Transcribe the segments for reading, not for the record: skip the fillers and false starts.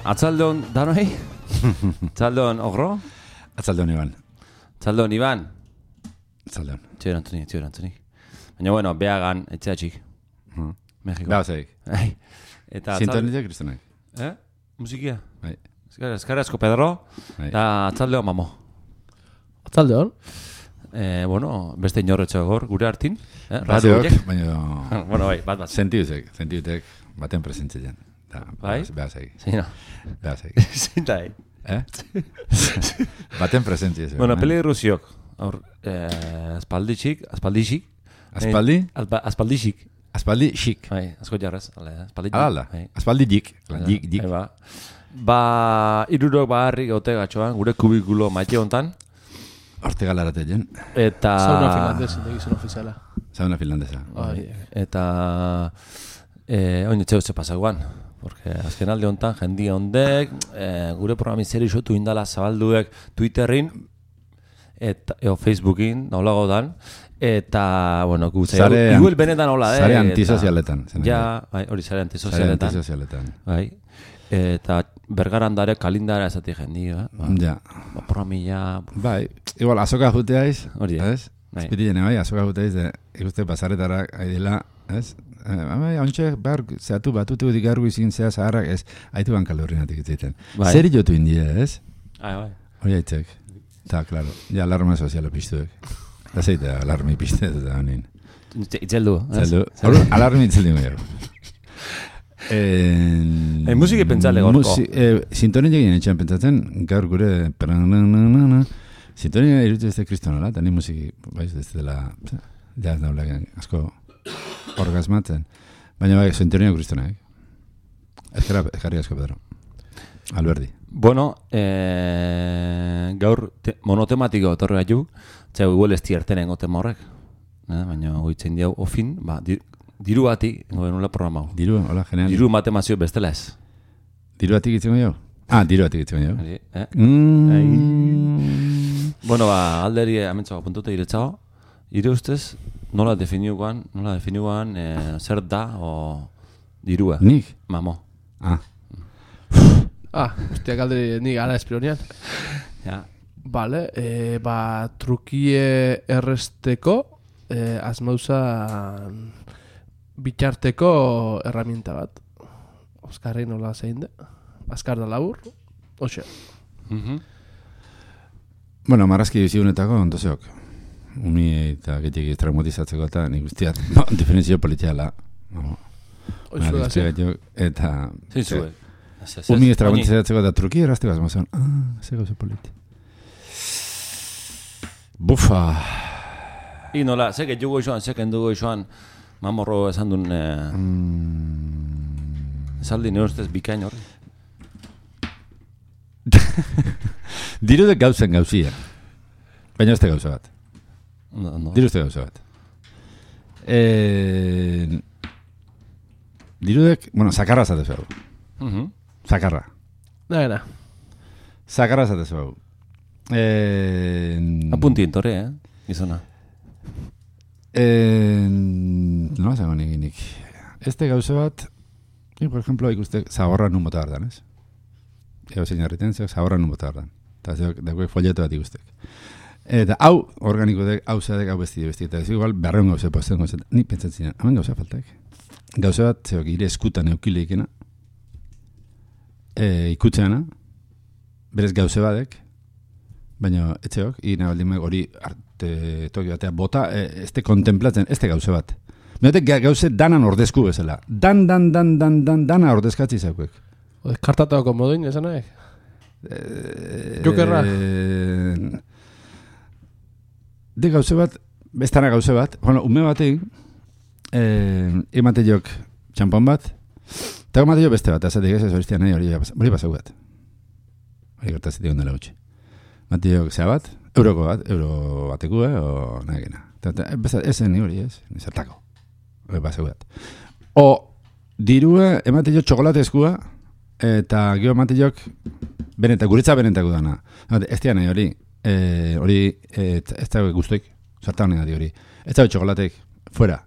Atzaldeon danoi? Atzaldeon ogro? Atzaldeon Iban. Atzaldeon Iban? Atzaldeon. Txio erantzunik. Baina bueno, behagan, etxeatxik. Mexiko. Behazaik. Eta Sintonitek kristonak. Musikia? Bai. Eskarrezko Pedro. Eta atzaldeon mamo. Atzaldeon? Bueno, beste inorretxo gor, gure hartin. Raziok, baina... Bueno, bai, bat. Sentiutek, baten presentzilean. Bai? Behazaik. Zina. Behazaik. Zintai. Baten presentzilean. Bueno, peli rusiok. Aspaldixik. Aspaldi? Aspaldixik. Aspaldi xik. Bai, asko jarrez. Ala, aspaldi dik. Dik. Irurok baharrik gaute gatxoan, gure kubikulo maite hontan. Horte galarate jen. Eta... Sauna finlandesa, egizun ofiziala. Sauna finlandesa. Eta... Oin etxe pasaguan. Porque azken alde hontan, jendia hondek, gure programi zer isotu indala zabalduek Twitterin, eta Facebookin, naulago dan, eta, bueno, igual benetan hola, Zare antisozialetan. Ja, hori zare antisozialetan. Bai. Eta bergarandare kalindara esati jendia. Ja. Programilla... Bai, igual, azoka juteaiz, hori, ez? Espitillene, bai, azoka juteaiz, ikuste pasaretara haidela, ez? Hauntxe, behar, zehatu batutu digargu izin zea zaharrak, ez? Haitu bankalorrinatik itzaiten. Zer jotu india, ez? Bai. Hori haitzek. Ta, klaro. Ja, alarma soziala piztuek. Da zeite, alarmi pizte, eta honin. Itzeldu, ez? Alarmi itzeldu gero. Musiki pentsale gorko. Sintonia egin etxean pentsatzen, gaur gure... Sintonia irutu ez da kristonola, eta ni musiki, baiz, ez dela... Ja, ez daula, asko orgasmatzen. Baina bai, sintonia kristonak. Ezkarri asko, Pedro. Alberdi. Bueno, gaur monotematiko otorri gaitu, txau igual ez tiertenen gotema horrek. Baina goitzen diau ofin, diru bati, gobenula programa. Diru, hola, genial. Diru matemazio bestela ez. Diru batik itzen jau? Diru batik itzen jau. Bueno, alderi amentzago puntute iretzago. Ire ustez, nola definiuan zer da o dirua? Nik? Mamo. Ustia galderi nik ara espironian. Ja. Vale, trukie erresteko asmauza bitxarteko herramienta bat. Oskarri nola zein da. Azkar da labur. Oxe. Bueno, marrazki bizionetako ondozeok. Umi eta getik traumatizatzeko eta nik guztiat definizio politiala. Oixo da zi. Eta... Zintzue. Umi traumatizatzeko eta truki errazteko azmazan. Ze gauza politi. Bufa. Nola, zeket jugo isoan, zeken dugu isoan, mamorro esan duen... Esaldi nire ustez bikain horri. Dirudek gauzen gauzia. Baina ez da gauza bat. Diru ez da gauza bat. Dirudek, bueno, zakarra zatezu hau. Zakarra. Naena. Zakarra zatezu hau. Apunti entorre, gizona. Nola zago nik. Este gauza bat, por ejemplo, ikuste zagorra nun bota gardan, ez? Ego zein harriten, zagorra nun bota gardan. Eta dagoek folleto bat ikustek. Eta hau, organiko dek, hau zadek, hau besti. Eta ez igual, berreun gauza posten gauza. Nik pentsatzen, hamen gauza faltak. Gauza bat, zeok, ire eskutan eukileikena, ikutzeana, berez gauza badek, baina etxeok, ina baldin hori arte toki batea bota, ez te kontemplatzen, ez te gauza bat. Miotek gauze danan ordezku bezala. Dana ordezkatzi zaukuek. Kartatako moduin, esan nahi? Jokerra? De gauze bat, bestana gauze bat, bueno, ume batein, emate jok txampon bat, eta emate jok beste bat, azatik ez horiztia nahi hori pasau bat. Hori gertazitik ondela gutxi. Mate jok zea bat, euro bateku, o nahi gena. Ezen hori ez, nizartako. Hori pasau bat. O, dirua, emate jok txokolatezkua, eta gero emate jok guretza benetako dana. Ez dian nahi hori, ez da guztoik, zarta honen gati hori. Ez da txokolatek, fuera.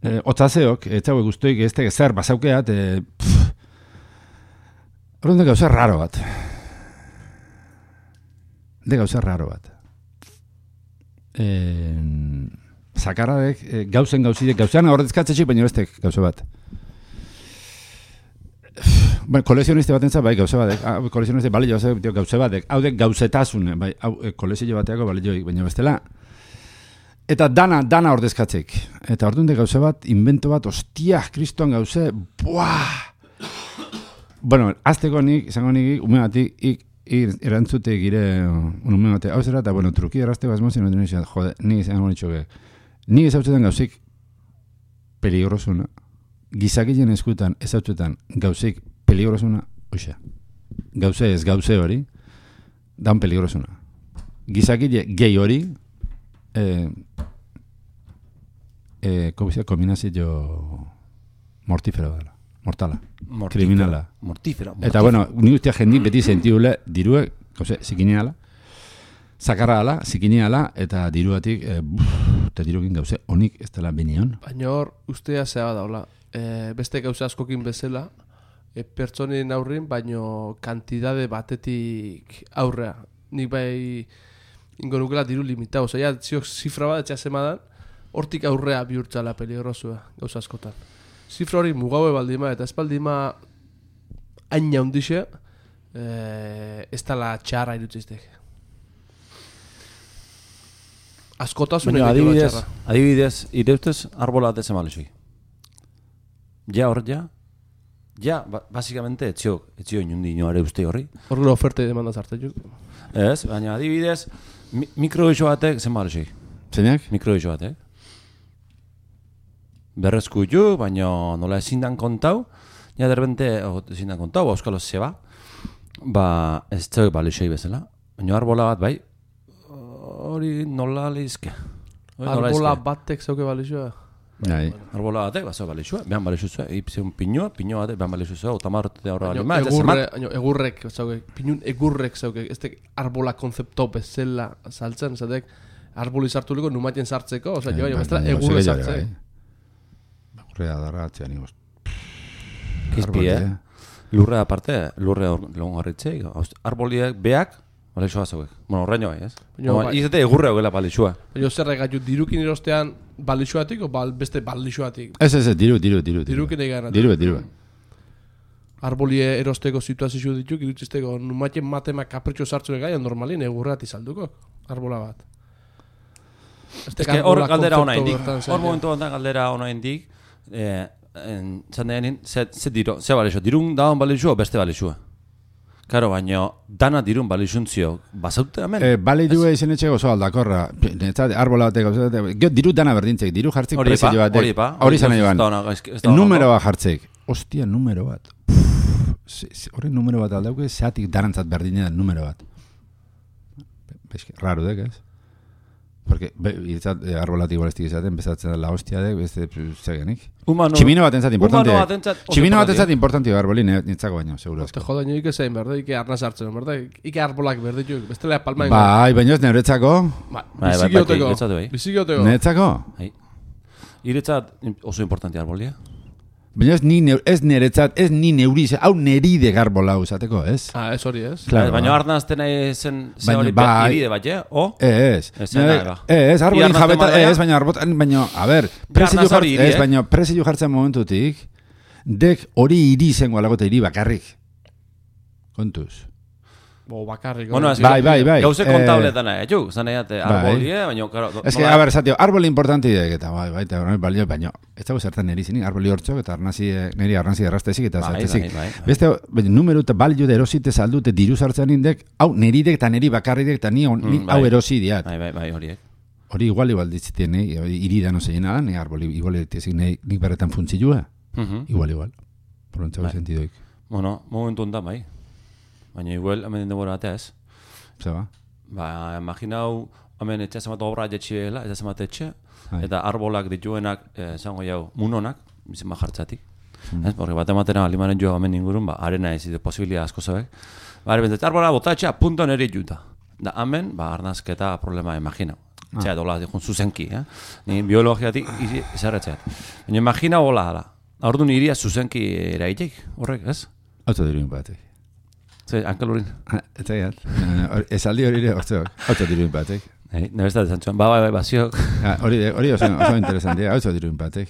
Otzazeok, etzago guztuik, ez teke zer basaukeat, horren gauza raro bat. Gauza raro bat. Zakarradek, gauzen gauzidek, gauzean ordezkatzetxik, baina bestek gauza bat. Bueno, kolekzioniste bat entzat, bai, gauza batek. Kolekzioniste balio gauza batek. Hau dek gauzetasune, bai, kolekzio bateako balioik, baina bestela. Eta dana ordezkatzek. Eta orduan de gauza bat, invento bat, ostia, kristoan gauze, buah! Bueno, azteko izango nik, ume batik, erantzute gire, ume batek, hau zera, eta, bueno, truki erazteko azmozien, jode, nik izango nitxoke. Nik ezautzen gauzik peligrosuna. Gizakien eskutan, ezautzen gauzik peligrosuna, oixa. Gauze ez gauze hori, dan peligrosuna. Gizakile gehi hori, kombinazio mortífero dela. Mortala. Kriminala. Mortífero. Eta, bueno, ni ustea jendik beti sentiule diruek, gauze, zikineala, zakarra ala, zikineala, eta diruatik, eta dirukin gauze, honik ez dela benion. Baina hor, ustea zea daula. Beste gauza askokin bezala, pertsonen aurrin, baino kantidade batetik aurrea. Nik bai ingo nukela diru limitau. Osea, ziok zifra bat etxasemadan, hortik aurrea bihurtzala peligrosua gauza askotan. Zifra hori mugaue baldima, eta ez baldima aina hundixe, ez dala txarra irutziztek. Askotasun egin txarra. Adibidez, ire ustez, arbola bat ezen balesui. Ja, hor, ja, básicamente, etzio inundi inoare uste horri. Horrela oferte demanda zartetuk. Ez, baina adibidez, mikroiso batek zen balesui. Zeinak? Mikroiso batek. Berrezku ju, baina nola ezin dan kontau, ja derbente, ezin dan kontau, auskalo zeba, ez zeuk balesoi bezala. Baina arbola bat, bai, hori nola lehizke. Arbola batek zauke balesua? Bai. Arbola batek, bazau balesua, behan balesua, ipzion pinua batek behan balesua, otamarrote horra balima, eta zemat. Egurrek zauke, pinun egurrek zauke, ez tek arbola konzepto bezala saltzen, zatek arboli sartuliko numatien sartzeko, oza, jo, bestela egurre sartzeko. Egurrea darra atzean ikoz. Kizpi, lurrea aparte, lurrea lagun harritzeik, arboliek beak, balesua zauek. Bueno, horrein bai, ez? Izate egurrea hogela balesua. Baina zerre gaitu dirukin erostean balexuatik o beste balexuatik? Ez, diru. Dirukin egin. Diru. Arbolie erosteko situazio dituk, irutzisteko numatien matema kapritxo sartzune gai, normalin egurreati salduko, arbola bat. Hor galdera hona indik. Hor momentu honetan galdera hona indik, zandeanin, ze balexua? Dirun daun balexua o beste balexua? Karo, baina dana dirun balexuntzio, bazaute hemen? Balexua izan etxeko oso aldakorra, arbola batek, diru dana berdintzek, diru jartzek prezio batek, hori zan egin, numero bat jartzek, ostia, numero bat, horren numero bat aldauke, zeatik darantzat berdinen numero bat. Raro dek, ez? Porque arbolatik balestik izaten, bezatzen la hostia dek, zegenik. Tximino bat entzat importante. Tximino bat entzat importante arbolin, nintzako baino, seguro. Te joda, nio ike zein berde, ike arnaz hartzen, berde, ike arbolak berde, bestela palmain. Bai, baino ez neuretzako. Bizigioteko. Neuretzako? Iretzat oso importante arbolia. Baina ez niretzat, ez ni neuri, hau neride garbola uzateko, ez? Ez hori, ez? Baina arnazten zen hori iride bat, o? Ez, arbolin jabeta, ez, baina, a ber, prezio jartzen momentutik, dek hori iri zengo alagote iri bakarrik. Kontuz. Bakarrik. Bueno, bai. Gauze kontabletan juk, zaneiate arbolie, baina, karo... Ez que, a ber, zatio, arboli importanti dek, eta bai, baina, ez dago zertan neri zinik, arboli hortzok, eta neri arnazi errastezik, eta zartezik. Beste, numeru eta balio da erosite saldute diru sartzen indek, hau neridek eta neri bakarridek, eta ni hau erosi diat. Bai, horiek. Hori igual ditzitien, iridan ozeien ala, ni arboli, igual ditzik nik berretan funtzilua. Igual. Porontzago sentidoik. Bueno, momentu ondan, bai. Baina igual, hemen denbora batea ez. Zeba? Imaginau, hemen etxasemat obra jetxibela, etxasemat etxe, eta arbolak dituenak, zango jau, munonak, bizima jartzatik. Porque bat ematera alimaren joa hemen ingurun, arena ez, posibilia asko zabek. Arbola bota etxea, punto neri juta. Da hemen, arnazketa problema imaginau. Txea, dola, dikun zuzenki, Ni biologiatik izarretxeat. Baina imagina hola hala. Orduan iria zuzenki eraitek, horrek, ez? Autodiruin batek. Zer, Ankel Urin. Eta gat. Esaldi hori ere autodiruin batek. Nebestat esan txuan, bai, ziok. Hori oso interesantia, autodiruin batek.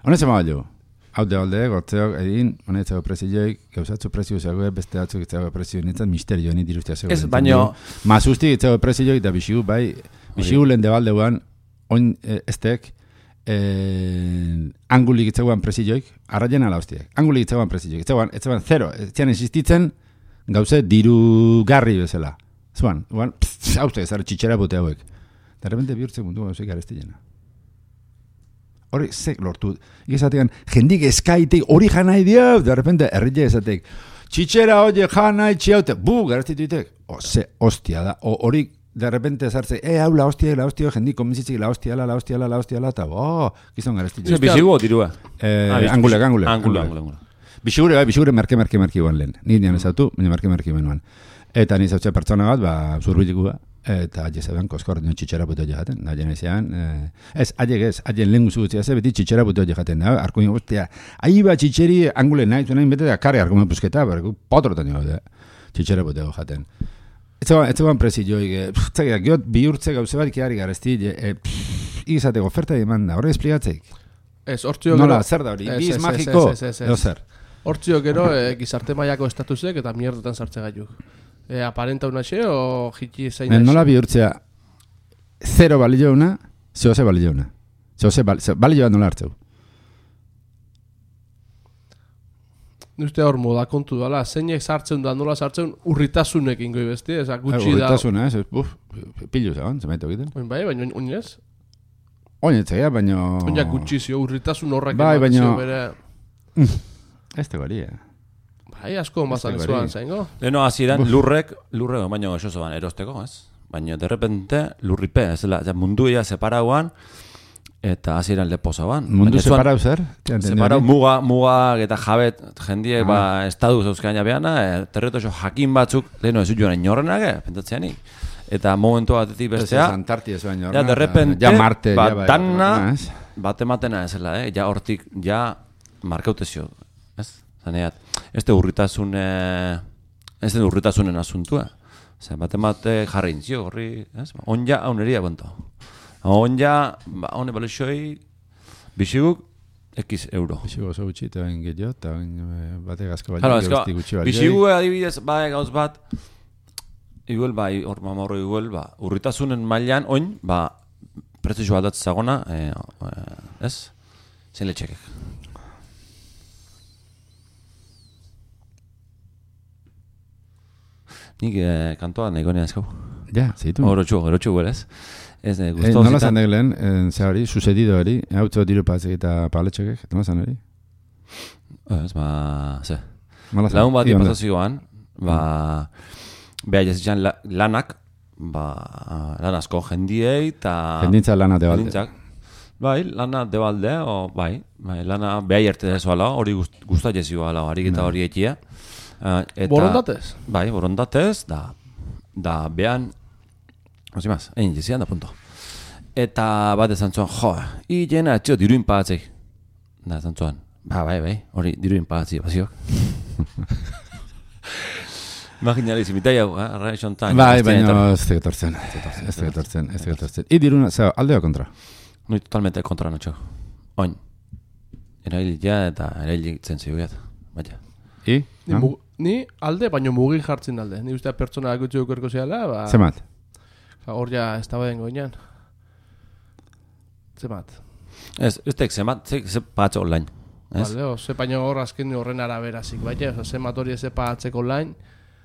Honez ema balio. Haude, gortzeok, edin, honetzako prezioik, gauzatzu prezio zegoe, beste batzuk itzako prezio nintzen, misterio ni dirustea zegoe. Ez, baino... Mazustik itzako prezioik, da bixigu, bai, bixigu lehen debaldeuan, oin estek, angulik itzagoan prezioik, arraien ala hostiak, angulik itzagoan prezioik, itzagoan zero, etzian existitzen, gauze dirugarri bezala. Zuan, hauzte, zara txitxera bote hauek. De repente bihurtzen mundu gauzeik arestilena. Hori, zek lortu. Igezatean, jendik eskaitek, hori janai dio, de repente, errile esatek, txitxera hori janai txiaute, garaztituitek. Hostia da, hori, de repente zartze, hau la hostia, jendik konbizitzik, la hostia, eta, gizon garaztituitek. Bizigu o dirua? Angulek. Bixigure merke guan lehen. Ni nian ezautu, baina merke menuan. Eta ni zautxe pertsona bat, zurbilikua, eta jezabean koskor nio txitxera puto jaten, da jena izan, haien lehen guzu gutzia ze, beti txitxera puto jaten, da, arkuin guztia, ahi bat txitxeri angule nahi, zuen bete da kare argumen pusketa, berku potrotan jo, txitxera puto jaten. Ez zegoan prezioik, giot bihurtze gauze bat ikiari garezti, igizateko oferta demanda, horre espligatzeik? Ez, hortzio gero... Nola, zer da hori, biz magiko, edo zer? Hortzio gero, gizarte mailako estatusek eta mierdetan sartze gaiuk. Aparenta una xe o jiki zein da xe? Nola bihurtzea, zero balio una, zehose balio una. Zehose balio nola hartzeu. Nuzte hor moda kontu dala, zeinek sartzen da, nola sartzen urritasunekin goi besti, eza gutxi da... Urritasuna, pilu zegoen, zemaitu egiten. Oin bai, baina oinez? Oinetzea, baina... Oinak gutxi zio, urritasun horrek bai, baina... bere... Ez te goria. Bai, asko mazan zuan, zaingo? Leno hasieran lurrek, baino eso zoan erosteko, ez? Baina, de repente, lurripe, ez da, munduia separauan, eta hasieran lepozaban. Mundu separau zer? Separau muga eta jabet, jendiek, estadu zeuzkaina beana, terreto eso jakin batzuk, leno ez joan inorrenak, pentatzeanik. Eta momentu batetik bestea, ja, de repente, ja Marte, bat ematena ezela, ja hortik, ja markautezio, ez? Zaneat, ez da urritasunen asuntua. Zer, bat jarri intzio, horri, ez? Onja, hauneria bento. Onja, hone balexoi, bixiguk, X euro. Bixigu oso gutxi, eta bain gehiago, eta bain bate gazko bali. Bixigu adibidez, bai gauz bat, iguel, bai, hor mamorro iguel, urritasunen mailan, oin, prezio bat zagona, ez? Zein letxekek. Nik kantoa nahi gonean ezkau. Ja, zeitu. Horotxu guelez. Nola zan deglen, zehari, sucedido hori, hautzo diru patzek eta paletxokek, nola zan hori? Ez, ze. Lagun bat ipazazioan, beha jazitzen lanak, lan asko jendiei, eta... Jendintza lana debalde. Bai, lana debalde, lana beha jerte dezoala, hori guztat jezioala, harik eta hori ekia. Borondatez? Bai, borondatez, da behan, ozimaz, egin jezian da punto. Eta bat ezan zuan, jena etxio diruin pagatzei. Da ezan zuan, bai, hori diruin pagatzei, baziok. Imaginari zimitai hau, arra esontan. Bai, baina ez tegetortzen. I diruna, aldeo kontra? Noi totalmente kontra notxo. Oin, erailitea eta erailitzen zeugat, baina. I? Ni alde, baina mugin jartzen alde. Ni ustea pertsona gutxi dukerko zehala, Zemat? Hor ja, ez da baden goinean. Zemat? Ez tek zemat, ze patxe online. Bale, ze baina hor azken horren araberazik, baina zemat hori ez patzeko online.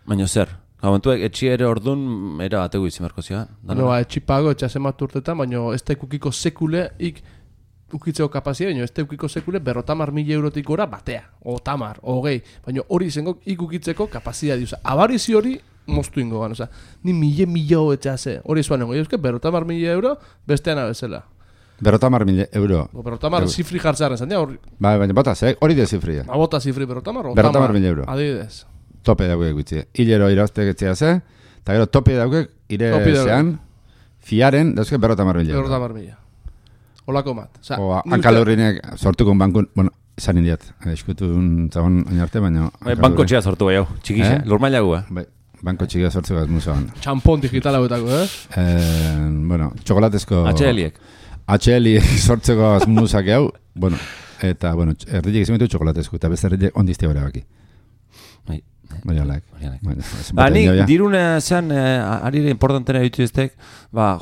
Baina zer? Gaumentuek etxi ere ordun era bategu izimerko zian. No, etxi pago, etxa zemat urtetan, baina ez da ikukiko sekule, ukitzeko kapazia, baina ez teukiko sekule 50.000 eurotik gora batea, o tamar, o gehi, baina hori izango ikukitzeko kapazia diuza. Abarizi hori moztu ingo gan, ni 1.000 etxase, hori zuan nengo, 50.000 euro bestean abezela. 50.000 euro. 50.000 zifri jartzaren zan, hori. Baina bota, hori de zifria. Bota zifri 50.000 euro. Adibidez. Tope daukek gutxi. Hilero irauztek etxea ze, eta gero tope daukek ire zean, Fiaren, dauzke 50.000 euro. 50.000. Olako mat. O hankalorrinek sortuko bankun, bueno, esan indiat, eskutu zagon oinarte, baina... Banko txea sortu bai hau, txikixe, lurmaila gu, Bai, banko txikia sortzu gaz musoan. Txampon digital hauetako, Bueno, txokolatezko... HL-iek sortzeko azmuzak hau, bueno, eta, bueno, erditek izan betu txokolatezko, eta beste erditek ondizte hori baki. Baina laik. Nik dirune zean, arire importantena ditu eztek,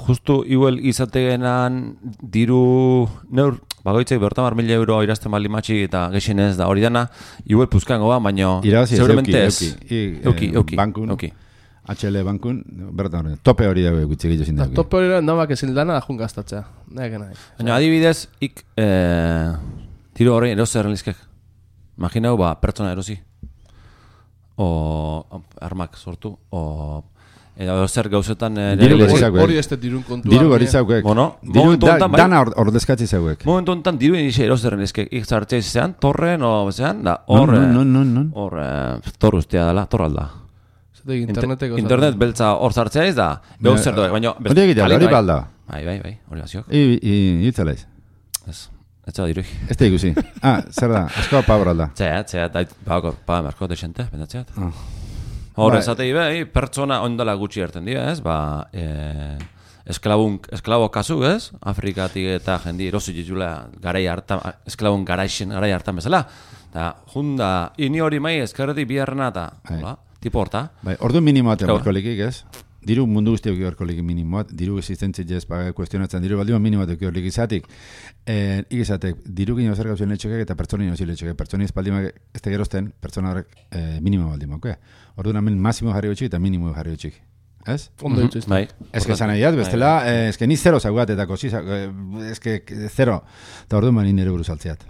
justu igual izategenan diru neur, bagoitzek 50.000 euro irazten bali matxi eta gexen ez da hori dana, igual puzkango baina seguramente ez. Euki. Bankun, HL bankun, bertan tope hori dago gutxi gehiago zin dago. Tope hori da, namak ezin dana da jun gaztatzea. Baina adibidez, diru hori erosi errelizkek. Imaginau, pertsona erosi. O armak sortu, o zer gauzetan... Hori ez dirun kontua. Diru hori zauek. Dana ordezkatzi zauek. Momentu honetan diru inixe erozerren ezkek. Ikzartzea izan, torren, o zean, da, hor tor ustea dela, tor alda. Internet beltza hor zartzea ez da, behuz zer doek, baina... Hori egitea, hori balda. Bai, hori baziok. Itzalaiz. Ez da dirui. Ez da ikusi. Zer da, askoa pabra alda. Txea, paga merko desente, bendatzeat. Hor ezatei behi, pertsona ondala gutxi erten dira, ez? Esklabo kasu, ez? Afrikatik eta jendi erosi ditula esklabun garai hartan bezala. Eta junda, ini hori mai eskerretik biharrena eta, tipo horta. Ordu minimoat emarko likik, ez? Diru mundu guzti eukio erko liki minimoat, diru existentzit jez kuestionatzen, diru baldima minimoat eukio liki izatik. Ikizatek, diru gino zer gauzien letxokek eta pertsonin osi letxokek. Pertsoniz baldima ez da gerozten, pertsona horrek minimo baldima, oke? Ordu namen masimo jarri gotxik eta minimo jarri gotxik. Ez? Ondo dituz. Ez que zan egiat, bestela, ez que ni zero zaguat eta kosi, ez que zero. Eta ordu mani nire buruz altziat.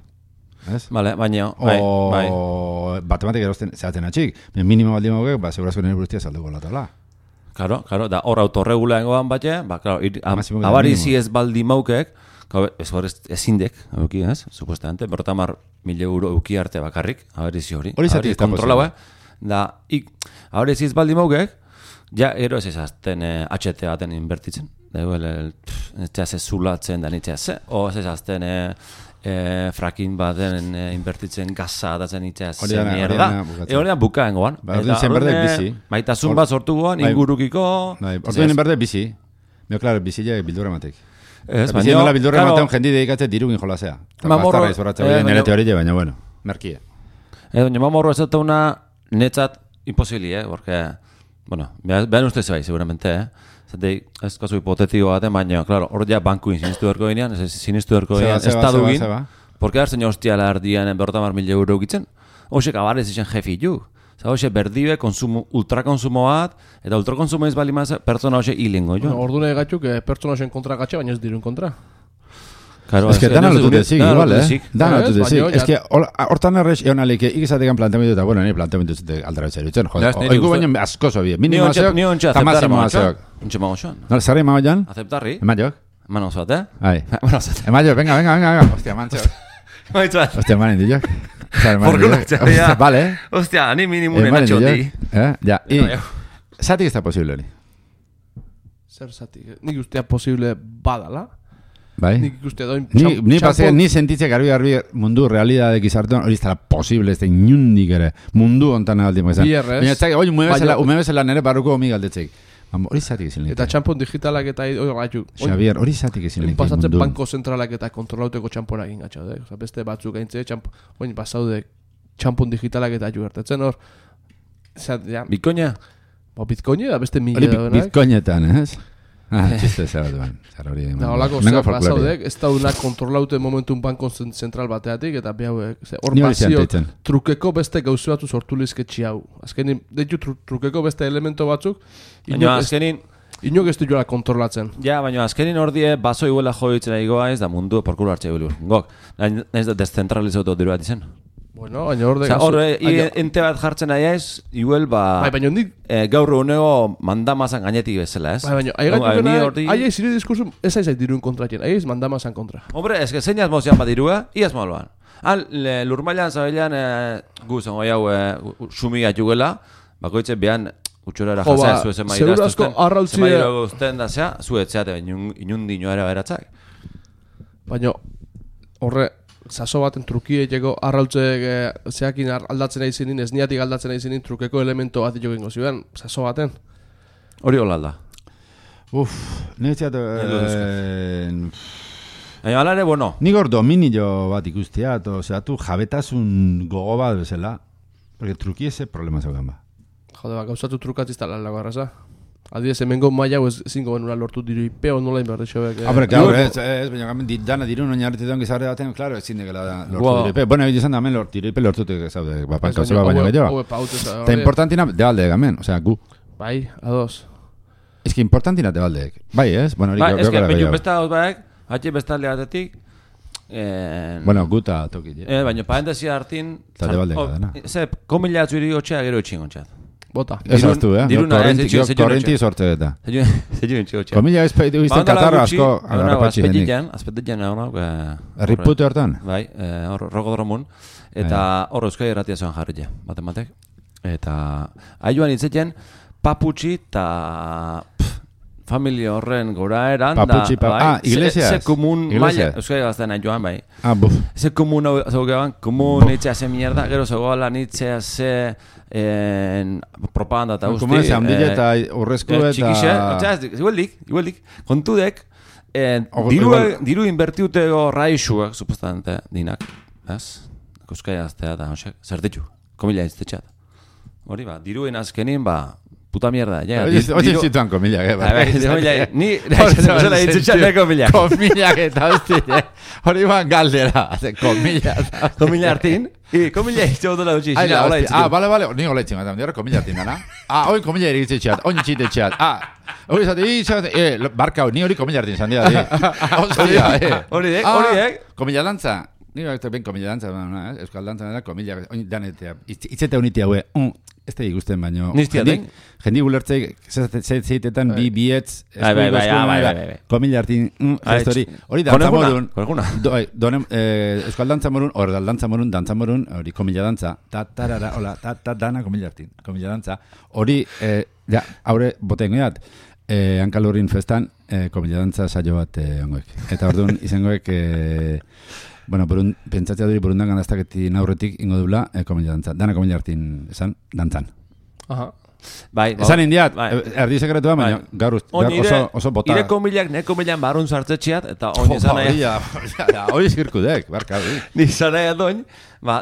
Ez? Vale, baina, o batematik gerozten zehatzen atxik. Minimo baldima gogek, segurazko nire buruztia salduko latala. Claro, da hor autorregula engoan batxe, abarizi ez baldi maukek, ezindek, ez, supuestamente, 50.000 euro euki arte bakarrik, abarizi hori. Hori zati ez da posible. Da, abarizi ez baldi maukek, ja, ero ez ezazten HT baten inbertitzen. Da, ez ez zulatzen da nitzea ze, o ez ezazten frakin baten inbertitzen gaza datzen itzea zen mierda. Hori da bukaen goan. Orduen zen berdek bizi. Maitasun bat sortu goan, ingurukiko... Orduen berdek bizi. Mio, klaro, bizile bildura matek. Ez, baina... Bizile nola bildura matean jendi dedikatze dirugin jolazea. Bastarra izorratza hori nire teorie, baina bueno, merkie. Baina mamorro ez dut una netzat imposibili, porque... Bueno, behan ustez bai, seguramente, Zatei, ez kasu hipotetiko baten, baina, klaro, hor ja bankuin sinistu erko ginean, sinistu erko ginean, estadu gin, porque hartzen hostia lardian 50.000 euro gitzen, hoxek abarez izan jefi ju. Hoxe berdibe, ultrakonsumo bat, eta ultrakonsumo ez bali maz, pertsona hoxe hilingo jo. Ordune gatzuk, pertsona hoxen kontra gatxe, baina ez dirun kontra. Claro, es que dana lotu dezik, igual, Dana lotu dezik. Es que hortan errez egon alik, ikizatekan planteamendu eta, bueno, nire planteamendu zute aldara betxer dutzen. Oigu baino asko zo bie. Minimo azeok, eta mazimo azeok. Untxe mago xoan. No, zarri mago joan? Aceptarri. Emaiok? Eman oso bat, Ai. Emaiok, venga. Hostia, mantxo. Hostia, emanen diok. Porkulatxea, ja. Vale. Hostia, ni minimunen atxoti. Ja, zatik ez da posible hori. Zer zatik? Nik ustea posible badala. Bai. Nik ikuste doin ni sentitzea garbi mundu realidadek izartuan hori ez da posible, ez da inundik ere mundu ontan aldi mazan. Baina ez da, oi, umebezela nire barruko omi galdetzeik. Hori zatik ezin eta txampon digitalak eta Xavier, hori zatik ezin mundu. Pasatzen banko zentralak eta kontrolauteko txamponak ingatxau, beste batzuk gaintze, oin pasaude txampon digitalak eta gertatzen hor. Bitcoina? Bitcoina da beste mila. Bitcoinetan, ez? Txiste zara duen. Da, holako zer pasaudek, ez da una kontrolaute momentun banko zentral bateatik, eta behauek, hor pasio, trukeko beste gauze batzu sortu lizketxi hau. Azkenin, deitu trukeko beste elemento batzuk, inok ez du joala kontrolatzen. Ja, baina azkenin hor die, baso iguela joitzen egoa ez da mundu porkulu hartxe bilur. Gok, nahiz da descentralizatu dira bat izan. Bueno, baina hor de... Hor, ente bat jartzen aia ez, iguel ba... Baina hondik... Gaur unego mandamazan gainetik bezala, ez? Baina, aia izire diskursu ez aizait diruen kontratien, aia iz mandamazan kontra. Hombre, ez que zein azmozian bat dirua, iaz maloan. Lurmailan zabailan guzan goi hau sumigat jugela, bakoitze behan Utxorera Jo, jasea, ba, zu ezen seguru asko arrautzie- guztien da zea, zu etzeate inundino ere beratzak. Baina, horre, saso baten trukieteko arrautzeek zeakin aldatzen nahi zinin, ez niatik aldatzen nahi zinin trukeko elemento bat jo gingo ziren, saso baten. Hori hola alda. Niretzat... Baina ala ere, bueno, Nik hor dominio bat ikustia, osea, tu jabetasun gogo bat bezala, porque truki ese problema zeugan ba. Jode, ba, gauzatu trukatzizta lan lago arraza. Adibidez, hemengo maila ez zingo benura lortu diru ipeo nola inberdexoek. Hombre, claro, baina gamen dana dirun oinarritzen gizarre baten, claro, ezin degela lortu diru ipe. Bueno, egin da hemen diru ipe lortutik zaude, bapanka zeba baino gehiago. Eta importantina de balde gamen, osea, gu. Bai, ados. Ez que importantina de baldeek. Bai, ez? Bueno, hori ez que gehiago. baina besta hau baek, hatxe bestalde batetik, Bueno, guta toki. baina parentesia hartin, Eta de baldeka dena. ze, komila atzuri gotxea gero etxingontxat. Bota. Ez hartu, diruna, korrenti sorte eta. Zeio entxio gotxea. Komila ez peitu izten katarra asko agarrapatxi denik. Azpetitzen, Erripute hortan? Bai, hor rokodromun. Eta hor Euskadi Erratia zoan jarri baten batek. Eta aioan hitzetzen, paputxi eta familia horren gora eran. Paputxi, iglesias. Ze komun maia, Euskadi gazten aioan, bai. Buf. Ze komun hau zaugean, komun nitzea ze mierda, gero zegoela nitzea ze propaganda eta guzti. Komun ezan bile eta urrezko eta... Txikixe, igualdik, kontudek, diru inbertiutego raixuak, supostamente, dinak, ez? Euskadi gaztea eta, zer ditu, komila iztetxat. Hori ba, diruen azkenin, ba, puta mierda, ja. Oye, zituan komilak, Ni, zela iztetxat komilak. Komilak eta hostia, hori ban galdera, komilak. Komila hartin, komila izteo dola dutxi. Bale, ni hola itxin, dira komila hartin dana. Hoi komila iritzitxat, oin txitetxat. Hori zate, barkau, ni hori komila hartin zan dira. Hostia, Horiek. Komila dantza. Ni bakte ben komila dantza, euskal dantza da, komila, danetea, itzete unitea hue, ez da ikusten baino. Niztiatek? Jendi gulertzei, zeitetan bi bietz, komila hartin, hori dantza morun, euskal dantza morun, ordal dantza morun, hori komila dantza, ta-tarara, hola, ta-dana komila hartin, komila dantza, hori, haure, botengo jat, hankalurrin festan, komila dantza saio bat ongoek. Eta orduan, izangoek, bueno, pentsatzea duri burundan gandaztaketin aurretik ingo dula komila dantza. Dana komila hartin esan, dantzan. Aha. Bai, esan indiat, erdi sekretua, baina gaur oso bota. Ire komilak, ne komilan barun sartzetxeat, eta oin esan nahi. Hoi zirkudek, barka. Ni zan nahi adoin,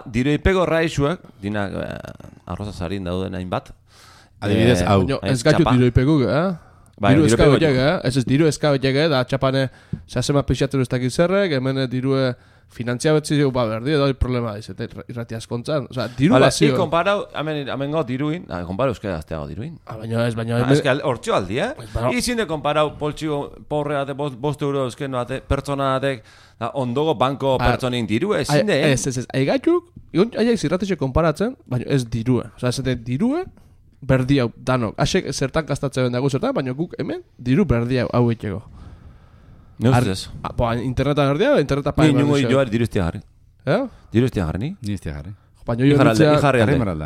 dire ipego raixuak, dinak arroza zarin dauden hainbat. Adibidez, hau. Ez gaitu dire ipegu, diru eskau ege, ez diru eskau ege, da txapane sasema pixatzen ez dakit zerrek, hemen dirue finantzia betzi dugu berdi, edo problema diz, irrati askontzan. Osa, diru bazio. Ni komparau, hemen gau diruin, komparau euskara azteago diruin. Baina ez, baina... Ez que hortxo aldi, Izin de komparau poltsiko porre bate, 5 euro euskeno bate, pertsona batek, ondogo banko pertsonin dirue, ezin de, Ez, aigatuk, aiak zirratxe konparatzen, baina ez dirue. Osa, ez dirue, berdi hau, danok. Asek zertan kastatzen dago zertan, baina guk hemen diru berdi hau egiteko. Ne ustez? Internetan berdi hau, internetan paia berdi. Ni nungo joari diru iztia jarri. Diru iztia jarri, ni? Ni iztia jarri. Baina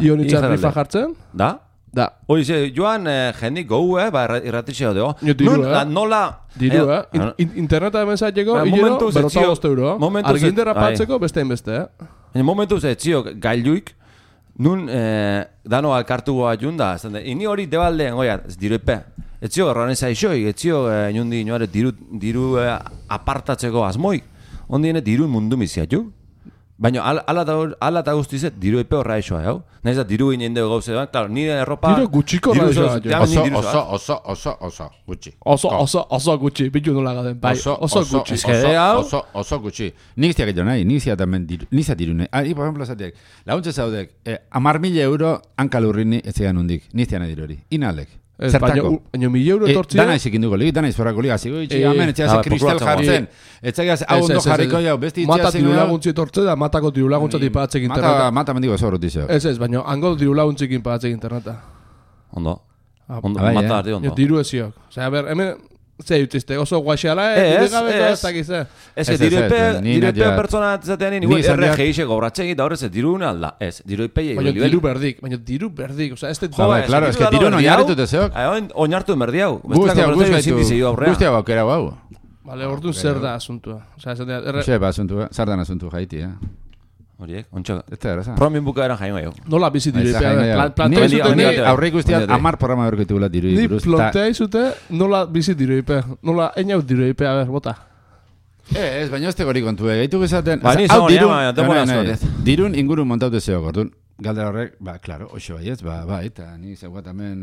ionitzea rifa jartzen? Da? Da. Hori ze, joan jendik gau, irratixeo deo. Diru, Nola... Diru, interneta hemen zaiteko, hilero, berrota 5 euro. Arginderra patzeko, beste enbeste, Momentu ze, txio, gailuik, nun dano alkartu goa junda, ini hori debaldean, goia, diru epe. Etzio, erraneza isoi, etzio, inundi inoare diru apartatzeko asmoik. Ondien diru mundu miziatu. Baina ala eta guztizet diru epe horra isoa, hau? Naiz da diru ginen dugu gauze, claro, nire erropa... Diru gutxiko horra isoa. Oso gutxi. Oso gutxi, bitu nola gaden, bai, oso gutxi. Oso gutxi. Nik iztiak edo nahi, nik iztiak tamen diru nahi. Por ejemplo, zateak, launtze zaudek, 10.000 euro hankalurrini ez zegan hundik, nik iztiak nahi diru hori. Inalek. Zertako? Baina 1.000 euro etortzia? Dana izik induko ligi, dana izforrako liga. Zigo itxi, amen, etxeaz kristal jartzen. Etxeaz, hau ondo jarriko jau, besti itxeaz. Mata diru laguntzi etortze da, matako diru laguntza tiparatzek interneta. Mata mendigo ez horret izio. Ez, baina hango diru laguntzik inparatzek interneta. Ondo. Mata arti ondo. Diru eziok. Osea, hemen Ze, utizte, oso guaxeala, ez dakize. Ez, diruepe pertsona zatean, nire RGI xe gobratzen eta horrez, dirun alda. Ez, diruepe baina diru berdik, oza, ez claro, es que dirun oinarritut ezeok. Oinartu emerdi hau. Guztia baukera hau. Vale, orduan zer da asuntua. Zer dan asuntua jaiti, Horiek, ontsa. Ez da, eraza. Promin bukaeran jaingo jau. Nola bizi diruipea. Ni aurreik usteat 10 programa berkitugula dirui. Ni plantea izute nola bizi diruipea. Nola einaut diruipea, bota. Ez, baina ez tegori kontu, gaitu gezaten. Ba, ni zon, dirun inguru montaute zeo, gordun. Galdera horrek, claro, oixo baiez, bai, eta ni zeugat hemen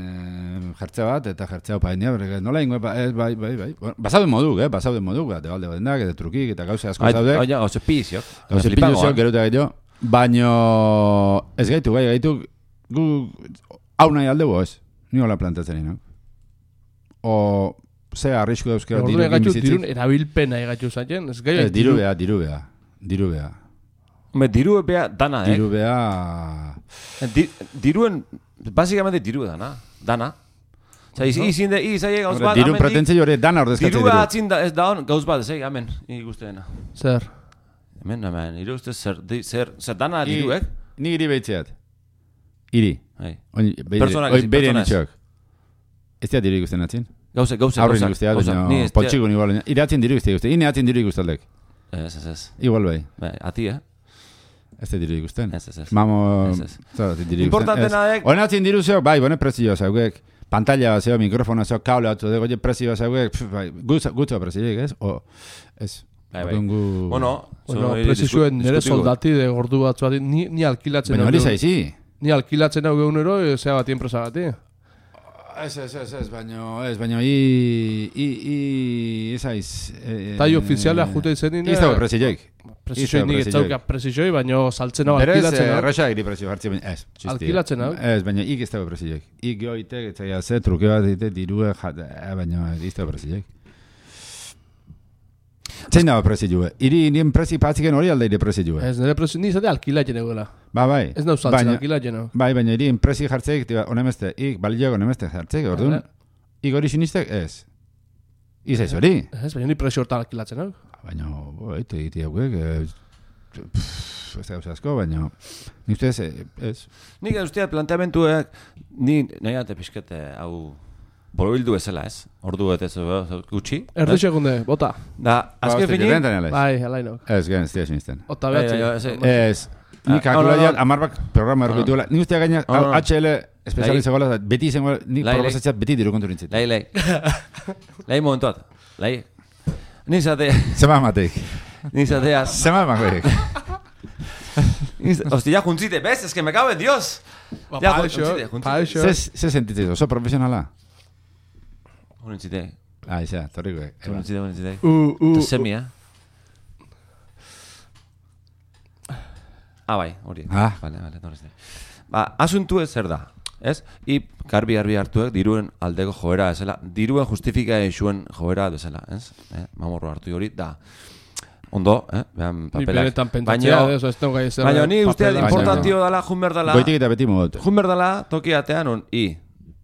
jertze bat, eta jertzea opainia, nola ingo, bai. Basauden moduk, basauden moduk, debalde batendak, eta trukik, eta gauze asko zaude. Oia, gauze piziok. Gauze piziok, geruta gaito, baino ez gaitu, gu hau nahi aldegu, ez? Ni hola plantatzen ino. O, ze arrisku dauzkera dirukin bizitzik. Dirun erabilpena egatu zaten, ez gai? Dirubea. Dirubea dana, Dirubea... Diruen, básicamente diru dana. Oza, izinde, izai gauz bat, dirun pretentzio hori dana ordezkatzen diru. Dirua atzin ez da hon, gauz bat, zei, amen, ikuste dena. Zer? Amen, iru uste zer dana diruek? Ni iri behitzeat. Iri. Personak ezin, personaz. Ez da diru ikusten atzin? Gauze. Aurrin ikusteat, baina potxikun igual. Iratzen diru ikuste. Ine atzin diru ikustaldek. Ez. Igual bai. Ati, Ez da diru ikusten. Ez. Mamo... Importantena dek... Oen atzin diru zeo, bai, bone prezioa zeuek. Pantalla zeo, mikrofona zeo, kable batzu dego, prezioa zeuek, gutzo prezioik, ez? O, ez. Bai. Bueno, prezioen nire soldati de gordu batzu bat, ni alkilatzen... Baina hori zaizi. Ni alkilatzen hau geunero, zea bat enpresa bati. Baina ez aiz... Tai ofiziala jute izenin... Ez dago prezioik. Prezioik nik ez zauka prezioik, baina saltzen hau alkilatzen hau. Berez, erraxa egri prezio hartzi, baina ez. Alkilatzen hau? Ez, baina ik ez dago prezioik. Ik goitek, ez zaila ze, truke bat egite, dirue, baina ez dago prezioik. Zein dago prezioa? Nien prezio patziken hori alde ire prezioa? Ez, nire prezio, ni izate alkilatzen egoela. Bai. Ez nau saltzen alkilatzen hau. Bai, baina irien prezio jartzeik, onemeste, ik balioak onemeste jartzeik, orduan, ik hori sinistek, ez. Izaiz hori? Ez, baina ni prezio hortan alkilatzen hau. Baina, eite egite hauek, ez da asko, baina, ni ustez, ez. Nik usteat planteamentuek, ni nahi ate pixkete hau borobildu ezela, ez? Ordu ez gutxi. Erdi segunde, bota. Da, azken finin... Bai, alainok. Ez, gen, ez dira sinisten. Ota behatzen. Ez, ni kalkulaiat, amarbak programa erroko dituela. Ni ustea gaina, HL espezializagoela, beti izango, ni probazatzeat beti diru kontu nintzit. Lai momentuat. Lai. Ni zate... Zema amateik. Ni zateaz... Zema amateik. Hostia, ya juntzite, ¿ves? Es que me cago en Dios. Ya juntzite. Se sentitzen, oso profesionala. Juntzite. Isa, torriko. Juntzite. Semia. Bai, hori. Vale, torrezte. Asuntu ez zer da, ez? I garbi hartuek diruen aldeko joera ezela, diruen justifika zuen joera ezela, ez? Mamorro hartu hori, da. Ondo, behan papelak. Baina ni usteat importantio dala, junberdala. Goitik eta beti modote. Junberdala tokiatean,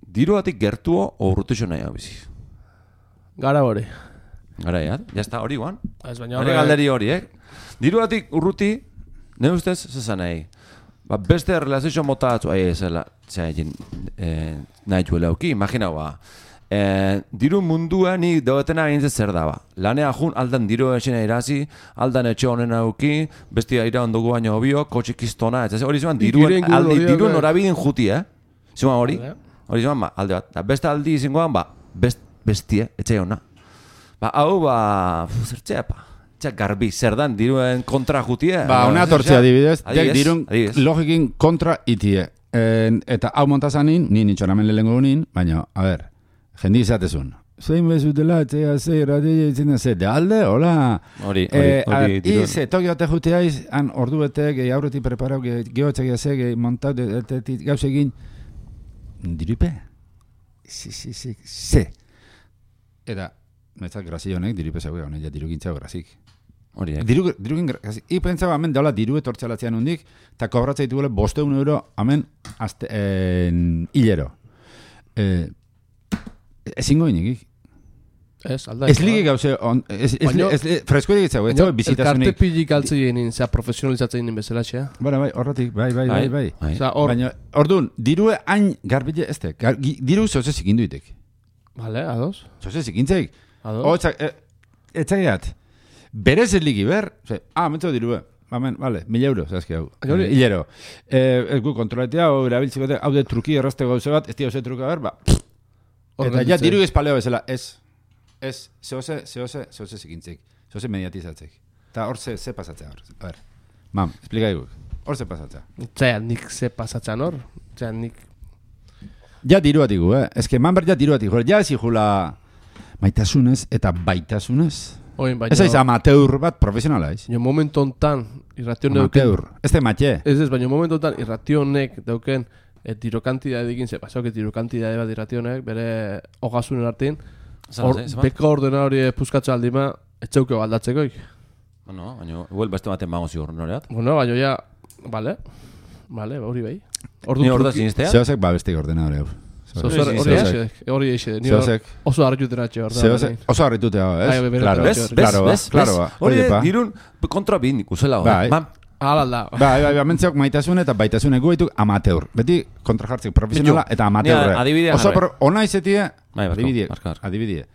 diruatik gertuo urrutixo nahi hau bizi. Gara hori. Gara, jazta hori guan. Hori galderi hori, Diruatik urruti, ne ustez, zezan nahi. Beste relazio mota atzu, ezela, nahi juela auki, imagina diru mundua ni doetena gintzen zer daba. Lanea jun, aldan diru esena irazi, aldan etxe honen auki, bestia ira ondugu baino obio, kotxik iztona, ez hori zeman, diruen horabidin juti, zeman hori? Hori zeman, alde bat. Beste aldi izangoan, bestie, etxe hona. Hau, zertzea, garbi, zer dan, diruen kontra jutie? Una tortzea adibidez, dirun logikin kontra itie. Eta hau montazanin, ni nintxoramen lehengo unin, baina, a ber, jendi izatezun. Zein bezutela, etzea, de alde, hola. Hori. Ize, toki bate juteaiz, han ordu betek, aurretik preparau, gehotzak jazek, montau, gauzegin, dirupe? Se. Eta, metzak grazio honek, dirupe zauge, honek, dirugintza grazik. Hori, Dirugin grazik. I pentsaba, hemen, daula diru etortxalatzean hundik, eta kobratzea dituela 500 euro, hemen, hilero. Ezingo inikik. Ez, alda. Ez ligi gauze, freskorik ez ez bizitasunik. Elkarte pilik altze jenin, zera profesionalizatzen jenin bezala, txea. Bueno, bai, horretik, bai. Baina, Orduan, dirue hain garbile ez tek. Diru zoze zikinduitek. Vale, ados. Zoze zikintzeik. Ados. Etzagiat. Berez ez ligi ber, mentzo dirue. Bamen, vale, 1.000 euro, zazki hau. Hilero. Gu kontroletea, erabiltzeko, hau de truki errasteko gauze bat, ez tia oze truka ber, Eta ja, diru espaleo bezala, ez, zehose zikintzik, zehose mediatizatzek. Eta hor ze pasatzea hor. A ver, mam, explica iguk, hor ze pasatzea. Zaya, nik ze pasatzean hor, zaya, nik... Ja diru atigu, Ez que man ber ja diru atigu, ja ez ikula maitasunez eta baitasunez. Oin, baina... Ez aiz amateur bat profesionala, ez? Jo momentu ontan, irration amateur, ez de matxe. Ez, baina momentu ontan, irrationek dauken... Tiro kantidade dikin, ze pasau que tiro kantidade bat irrationek, bere hogasunen artin, beko ordena hori puskatza aldima, etxeuke baldatzekoik. Bueno, baina, igual beste baten bago ziur noreat. Bueno, baina ja, vale, hori bai. Ni hor da sinistea? Zehozek bestik ordena hori hau. Hori eixe, ni oso harrituteratxe hor da. Oso harritutea, ez? Claro. Hori dirun kontra bin ikusela hori. Hala da. Bai, mentzeok maitasun eta baitasun eguaituk amateur. Beti kontrajartzik profesionala eta amateurre. Adibidea jarri. Ona izetie, adibidea.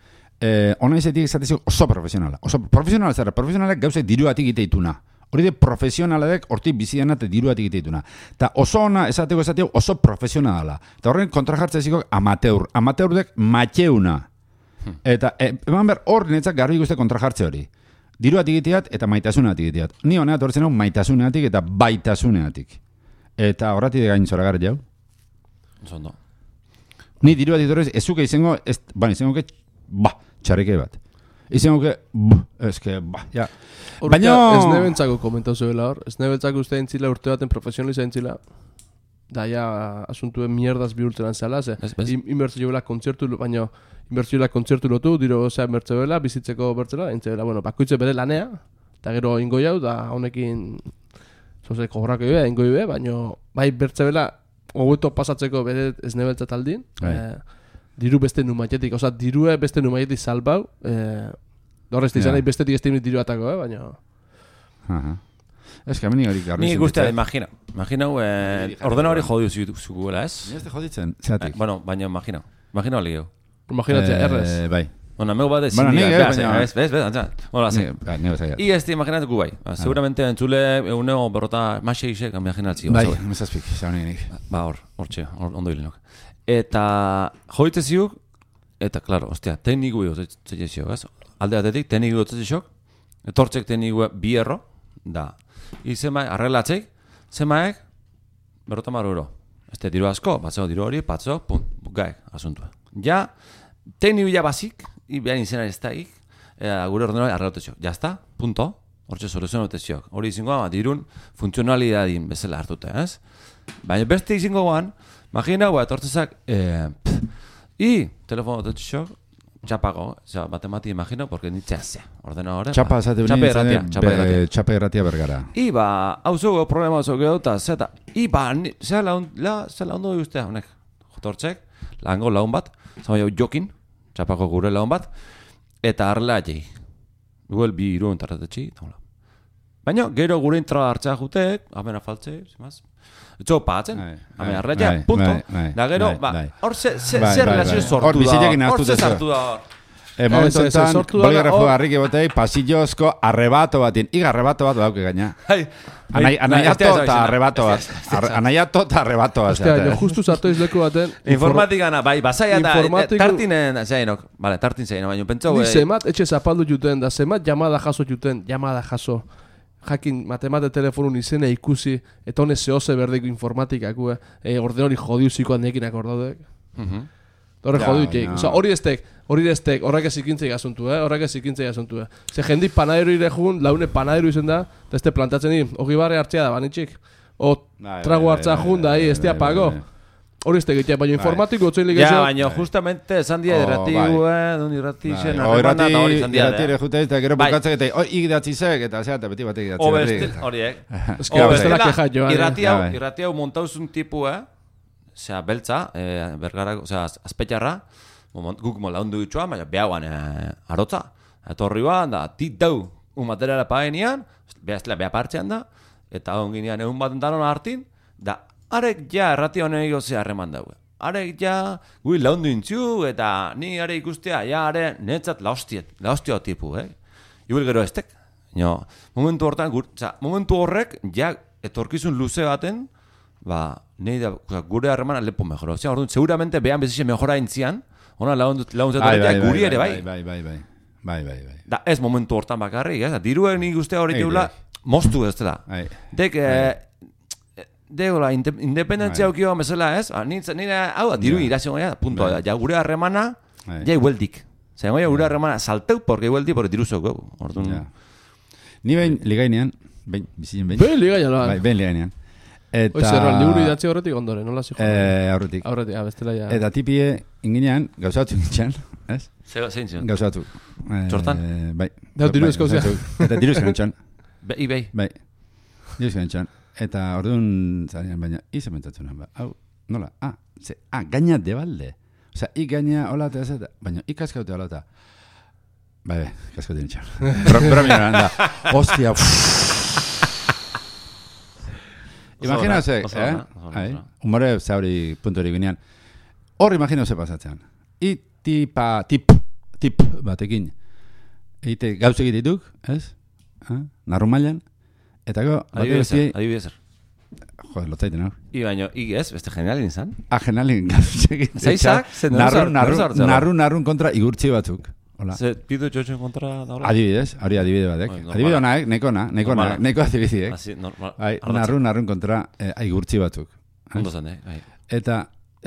Ona izetie izatezio oso profesionala. Oso profesionala zara, profesionalak gauzek diruatik iteituna. Hori de profesionaladek hortik bizidan eta diruatik iteituna. Eta oso ona esateko oso profesionala. Eta horren kontrajartzeziko amateur. Amateurdek matxeuna. Eta eman ber hor netzak garbi guzti kontrajartze hori. Diruatik iteat eta maitasunatik iteat. Ni honeat horretzen hau maitasunatik eta baitasunatik. Eta horretik gain zora gara jau. Zondo. Ni diruatik horrez, ezuke izango, izango txarrike bat. Izango ja. Baina... Ez nebentzako komentau zuela hor. Ez nebentzako uste entzila urte baten profesionaliza entzila. Da ja asuntuen mierdaz bihurtzen zela, ze. Inbertzio joela kontzertu, baina... Inbertzioela kontzertu lotu, diro bertzeoela, bizitzeko bertzela, entzeela, bakoitze bere lanea, eta gero ingo jau, da honekin zozeko horrako ibe, ingo ibe, baina bai bertzeoela hobeto pasatzeko bere ez nebeltzat aldin, diru beste numaietik, dirue beste numaietik salbau, horrezti izan nahi bestetik ez diru atako, baina... Ez que ameni hori garri nik guztia, imaginau, ordena hori jodiu zukuela, ez? Ni ez te joditzen, zeatik. Bueno, baina imaginau ligeu. Imaginatzea, errez. Bai. Bueno, meu bat I ez te imaginatuko bai. Seguramente entzule eguneo berrota maseixek imaginatzio. Bai, mesazpik, zaunenik. Hortxe, ondo hilinok. Eta joitze ziuk, eta, klaro, ostia, tekniku zetzio, ez? Alde batetik, tekniku zetzio, etortzek tekniku bierro, da. Izemaek, arreglatzek, zemaek, berrota maruro. Este diru asko, batzeko diru hori, patzo, pum, gaek, asuntua. Ja, tekniku ja basik, behan izena ez da gure ordenari arreglatezio. Ja está, punto, hortxe soluzionatezio. Hori izango, dirun funtzionalidadin bezala hartuta, ez? Baina beste izango guan, imagina, etortzezak, telefono tetxio, txapago, batemati imagino, porque ni txasea, ordenadore. Txapa, txapa erratia bergara. Hau zugo, problema zugo eta zeta. Zela ondo guztia, honek, jotortzek, lango laun bat, zama jau jokin, txapako gure laun bat, eta arrela jai. Guel bi iru entarratetxi, baina gero gure intra hartzea jutek, amena faltze, zimaz, etxo patzen, amena arrela ja, punto. Da gero, hor ze relazio sortu da, hor ze sartu da hor. Momentu enten, bolgarrafo harrik ebotei, pasillozko arrebato batin. Iga arrebato bat dauke gaina. Anaiato eta arrebato bat. Anaiato eta arrebato bat. Ostia, jo justu sartu izleku baten. Informatikana, bai, basaia eta tartinen, zeinok. Vale, tartin zein, baina pentsau... Ni zemat, etxe zapaldu juten, da zemat llamada jaso juten, llamada jaso. Jakin, matemate telefonun izena ikusi, eta honez zehose berdeko informatikak, ordenori jodiuzikoan nekin akordadek. Horre jodiutik. Hori estek, horrek ez ikintzei asuntu, horrek ez ikintzei asuntu. Ze jendik panadero irejun, laune panadero izen da, eta ez te plantatzen di, hogi barri hartzea da, banitxik. O trago hartza jun da, ez te apago. Hori estek egitea, baina informatiko otzein ligezio. Ja, baina justamente esan dia irrati zen, arremanda eta hori esan dia. Irrati ere jute, eta gero bukatzak eta ikidatzi zek, eta zea, eta beti batek idatzi. Horiek. Bestela keja joan. Irrati hau montauzun tipu, beltza, bergara, azpetxarra, guk laundu ditxoan, baina behaguan arotza. Etorri ban, da, dau, materiala paenian, beha partxean da, eta onginean egun bat danon hartin, da, arek ja errati honen egozea harreman daue. Arek ja, gui laundu intziu, eta ni are ikustea, ja, are, netzat laostia tipu, Igual gero estek. No, momentu horrek, ja, etorkizun luze baten, nahi da, gure harremana lepo mejora. Osea, orduan, seguramente behan bezixe mejora intzian, ona launtzatu guri ere, bai. Bai. Da, ez momentu hortan bakarrik, ez? Diruen nik ustea hori teula, moztu ez dela. Degola, independentzia aukio bezala, ez? Nire, hau da, diru irazio gara, punto da. Ja, gure harremana, ja, igueldik. Zer, gure harremana salteu, porque igueldik, porque diruzok, orduan. Ni behin ligainean, bizien behin. Behin ligainean, bai. Behin ligainean. Eta... Oizerro, liburu idatzi horretik ondore, nola zi joan? Aurretik. Bestela ja. Eta tipie, inginean, gauzatu nintzen, ez? Zein zion? Gauzatu. Txortan? Bai. Da, diru eskozia. Eta diru eskan nintzen. Bai. Diru eskan nintzen. Eta orduan, zarean, baina, izen mentzatzen ba. Hau, nola? Gaina debalde. Osa, gaina hola eta ez eta, baina, kaskaute hola eta. Bai, kaskaute nintzen. Brominan da. Ostia, Imaginaose, humore zauri punturik ginean. Hor imaginaose pasatzen. Tip batekin. Eite gauz egitituk, ez? Narrun mailan. Eta go, adibidez. Joder, lotzaiten hau. Baina, ez, beste generalin izan? Generalin gauz egitituk. Zeizak? Narrun kontra igurtzi batzuk. Ze, pidu txotxen kontra da hola? Adibidez, hori adibide batek. Adibide honaek, neko adibideek. Narrun kontra igurtzi batzuk. Ondo zen, Eta,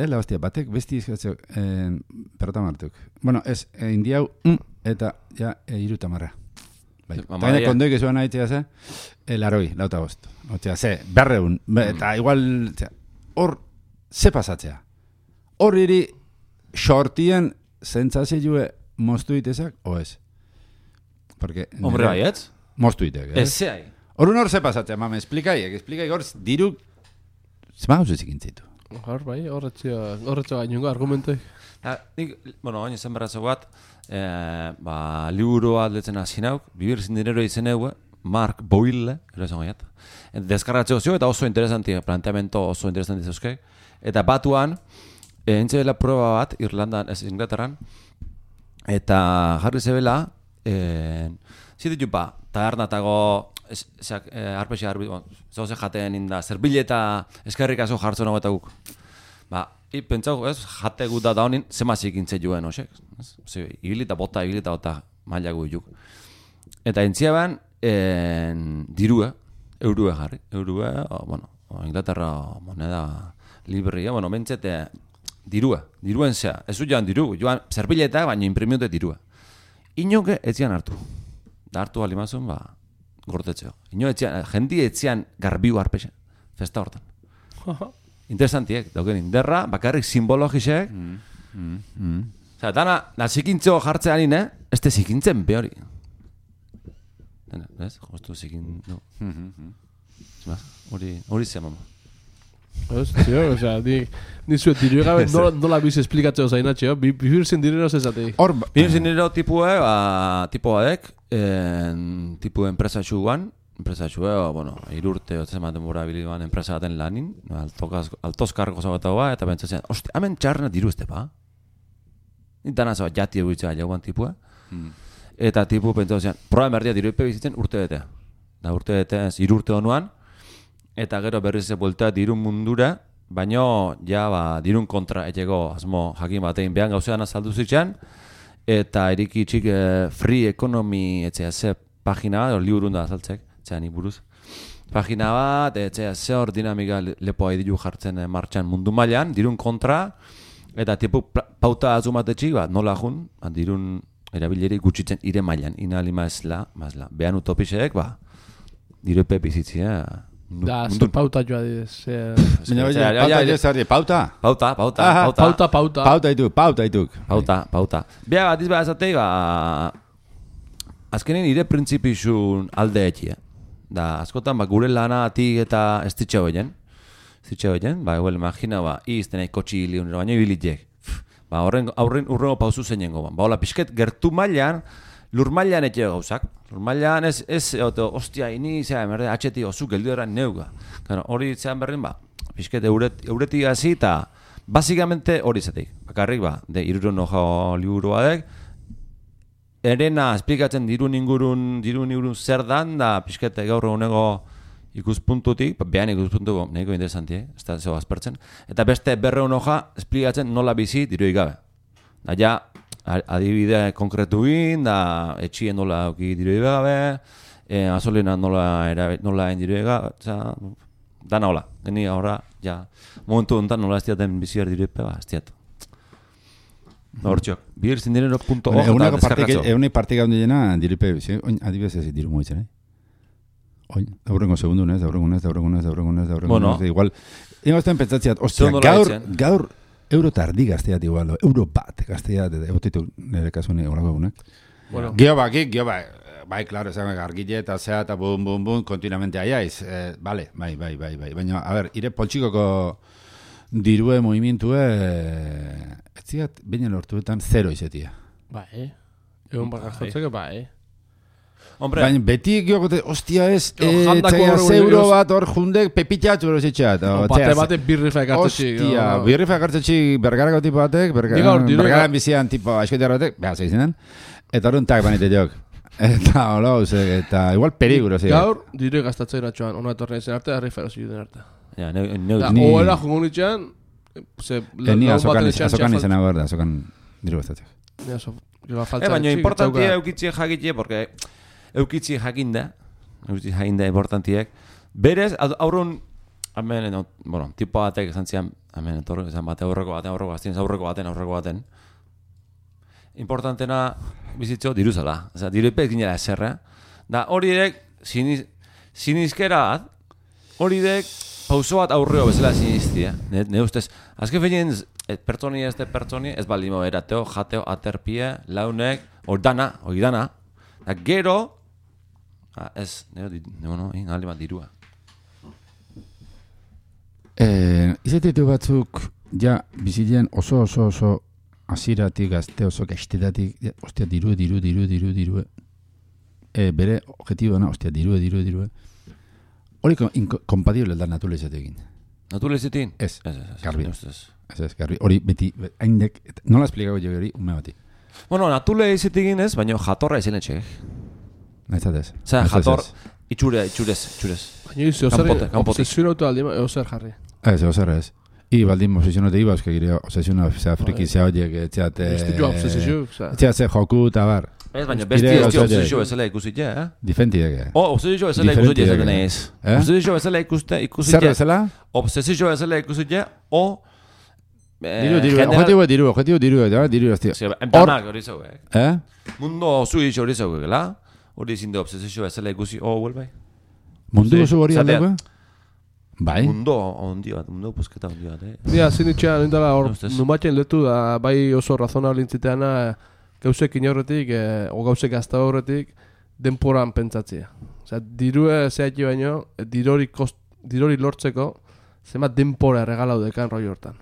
la hostia, batek besti izkatzok perrota martuk. Bueno, ez, indiau, eta, ja, irutamarra. Eta kondoik ezuan nahi ze, laroi, lauta bost. Otzea, ze, berreun, eta igual, hor, ze pasatzea. Hor iri, shortien, zentzazioe, moztu itezak, o ez? Porque... Hombre, baietz? Moztu itek, ez? Ez zehai. Horun hor ze pasatzea, mame, explikai hor, diru... Zema hau zezikintzitu. Hor, bai, horretxo gainungo argumentoi. Bueno, hain izan berratzo bat, liburu aldetzen azinauk, Vivir sin dinero izeneue, Mark Boyle, ero esan gaiat. Deskarratzeko zio, eta oso interesanti, planteamento oso interesanti zeuzke. Eta batuan, entzela proba bat, Irlandan, ez Inglaterran, eta jarri zebela, ziditu tabernatago, arpexi zauze jaten inda, zerbileta eskerrikazo jartzen hau eta guk. Pentsau, jate gut da honin, zemazik intze joen, osek? Ibilita bota maila juk. Eta entziaban, dirue, eurue jarri. Eurue, Inglaterra moneda librea, mentzete, diruen zea. Ez joan diru, joan zerbileta, baina imprimiute dirua. Inoke etzian hartu. Da hartu alimazun, gortetzeo. Jendi etzian garbiu arpexe, festa hortan. Interesantiek, dauken inderra, bakarrik simbologisek. Osea, dana zikintzeo jartzean ine, ez te zikintzen behori. Ez? Jostu zikin... Hori ze, mama. Hostia, osea, ni zuet diru gabe nola biz esplikatzeo zainatxeo, Vivir sin dinero zezatei. Vivir sin dinero tipuadek, tipu enpresatxu guan, irurte, otzematen bura biliban enpresa baten lanin, altoz kargo zabatago ba, eta bentsatzen, ostia, hemen txarrena diru ezte ba? Dana zaba jati eguitzea jauan tipua. Eta tipu pentsatzen, proba emerdia diru epe bizitzen urte betea. Da urte betea, irurte honuan, eta gero berriz ze buelta dirun mundura, baino ja dirun kontra etxego asmo jakin batein behan gauzean azaldu zitzean, eta eriki txik free economy etxea ze pagina bat, liburun da azaltzek, etxean iburuz. Pagina bat, etxea ze hor dinamika lepoa edilu jartzen martxan mundu mailan, dirun kontra, eta tipu pauta azumatetxik, nola jun, dirun erabileri gutxitzen ire mailan, inali mazla, behan utopisek, diru bizitzia. Da, azte pauta joa didez. Pauta? Pauta ituk. Bea bat izbea azatei, azkenin ire printzipizun alde etxia. Da, askotan, gure lana atik eta ez ditxe hoien. Eguel, imagina, izten kotxi hili unero, baina ibilitek. Ba, aurren urrengo pauzu zeinengo. Ba, hola, pixket gertu mailan, lur mailan etxe gauzak. Lur mailan ez ostia, ini, zera, merde, atxeti osu geldu eran neuga. Claro, hori zean berrin, ba, pixket euretik hasi eta basikamente hori zetik. Bakarrik, ba, de irurun hoja liburuadek, erena esplikatzen dirun ingurun zer dan, da pixket gaur egunego ikuspuntutik, behan ikuspuntu nahiko interesanti, ez da zego azpertzen, eta beste 200 hoja esplikatzen nola bizi diruik gabe. Da ja, adibide konkretu egin, da etxien nola auki diruik gabe, gasolina nola diruik gabe, dana hola. Geni ahora, ja, momentu honetan nola ez diaten biziar diruik ba, ez diat. Hortxok, birzindireno.org eta deskargatzo. Egunek partika hondi jena diripe, adibidez ez diru moitzen, Oin, aurrengo segundunez, Bueno. Igual, ingozten pentsatziat, ostia, gaur euro tardi gazteat igual, euro bat gazteat, egotitu nire kasune horako egunek. Bueno. Gio bai, claro, esan gargile eta zea eta bum, kontinuamente aiaiz. Bai. Baina, a ver, ire poltsikoko dirue movimientue, ez ziat, baina lortuetan 0 izetia. Bai, egun bagazotzeko bai. Hombre, Baina beti giokote, ostia ez, jandako txaia horregun zeuro egoz. bat hor jundek pepitxatzu berositxat. Bate birrifa ekartzetxik. Ostia, birrifa ekartzetxik bergarako tipo batek, bergaran bizian tipo askotiar batek, beha zeizinen, eta horren tak banite jok. Eta hola, eta igual peligro, zi. Gaur, dire gastatzen atxoan, ona etorren zen arte, harri ferozi duten arte. ja, Oela jungo nitxean, Ni azokan izan hau da, azokan diru bastatzek. baina importantia eukitzie jakitie, porque eukitzie jakinda importantiek. Berez, aurrun, bueno, tipo batek esan zian, esan bate aurreko baten. Importantena bizitzo diruzala. Oza, diruipek ginela eserra. Da hori dek, sinizkera bat, hori dek pauso bat aurreo bezala siniztia. Ne ustez, azken feinen pertsoni ez balimo erateo, jateo, aterpie, launek, ordana. Da gero, ez, aldi bat dirua. Izatetu batzuk, ja, bizitien oso aziratik, gazte oso gaztetatik, ostia, diru. Bere objetiboa, ostia, diru. Hori inkompatible da natule izatekin. Natule izatekin? Ez, garbi. Ez. Garbi. Hori beti, haindek, nola esplikago jo hori, ume bati. Bueno, natule izatekin ez, baina jatorra izan etxek. Naizatez. Osea, jator, itxurez. Baina izi, obsesionautu aldi, ozer jarri. Ez. I baldin obsesionate iba, euske gire obsesiona friki zea horiek, etxeate... Etxeat ze joku eta bar. Ez, baina besti ez obsesio bezala ikusitea, Difentidek. Obsesio bezala ikusitea zaten ez. Obsesio bezala ikusitea. Zer bezala? Obsesio bezala ikusitea, o... Objetibo diru, hostia. Enplanak hori zau, Mundo oso itxo hori zau, gela? Hori zinde obsesio bezala ikusi, huelbai? Mundu oso hori aldeko? Bai. Mundo pusketa ondi bat, Dia, zinitxean, indala hor, numatxen letu da, bai oso razonable intziteana, gauzek inorretik, o gauzek hasta horretik, denporan pentsatzea. Osea, dirue zehatxe baino, dirori lortzeko, zemat denpora regalau dekan roi hortan.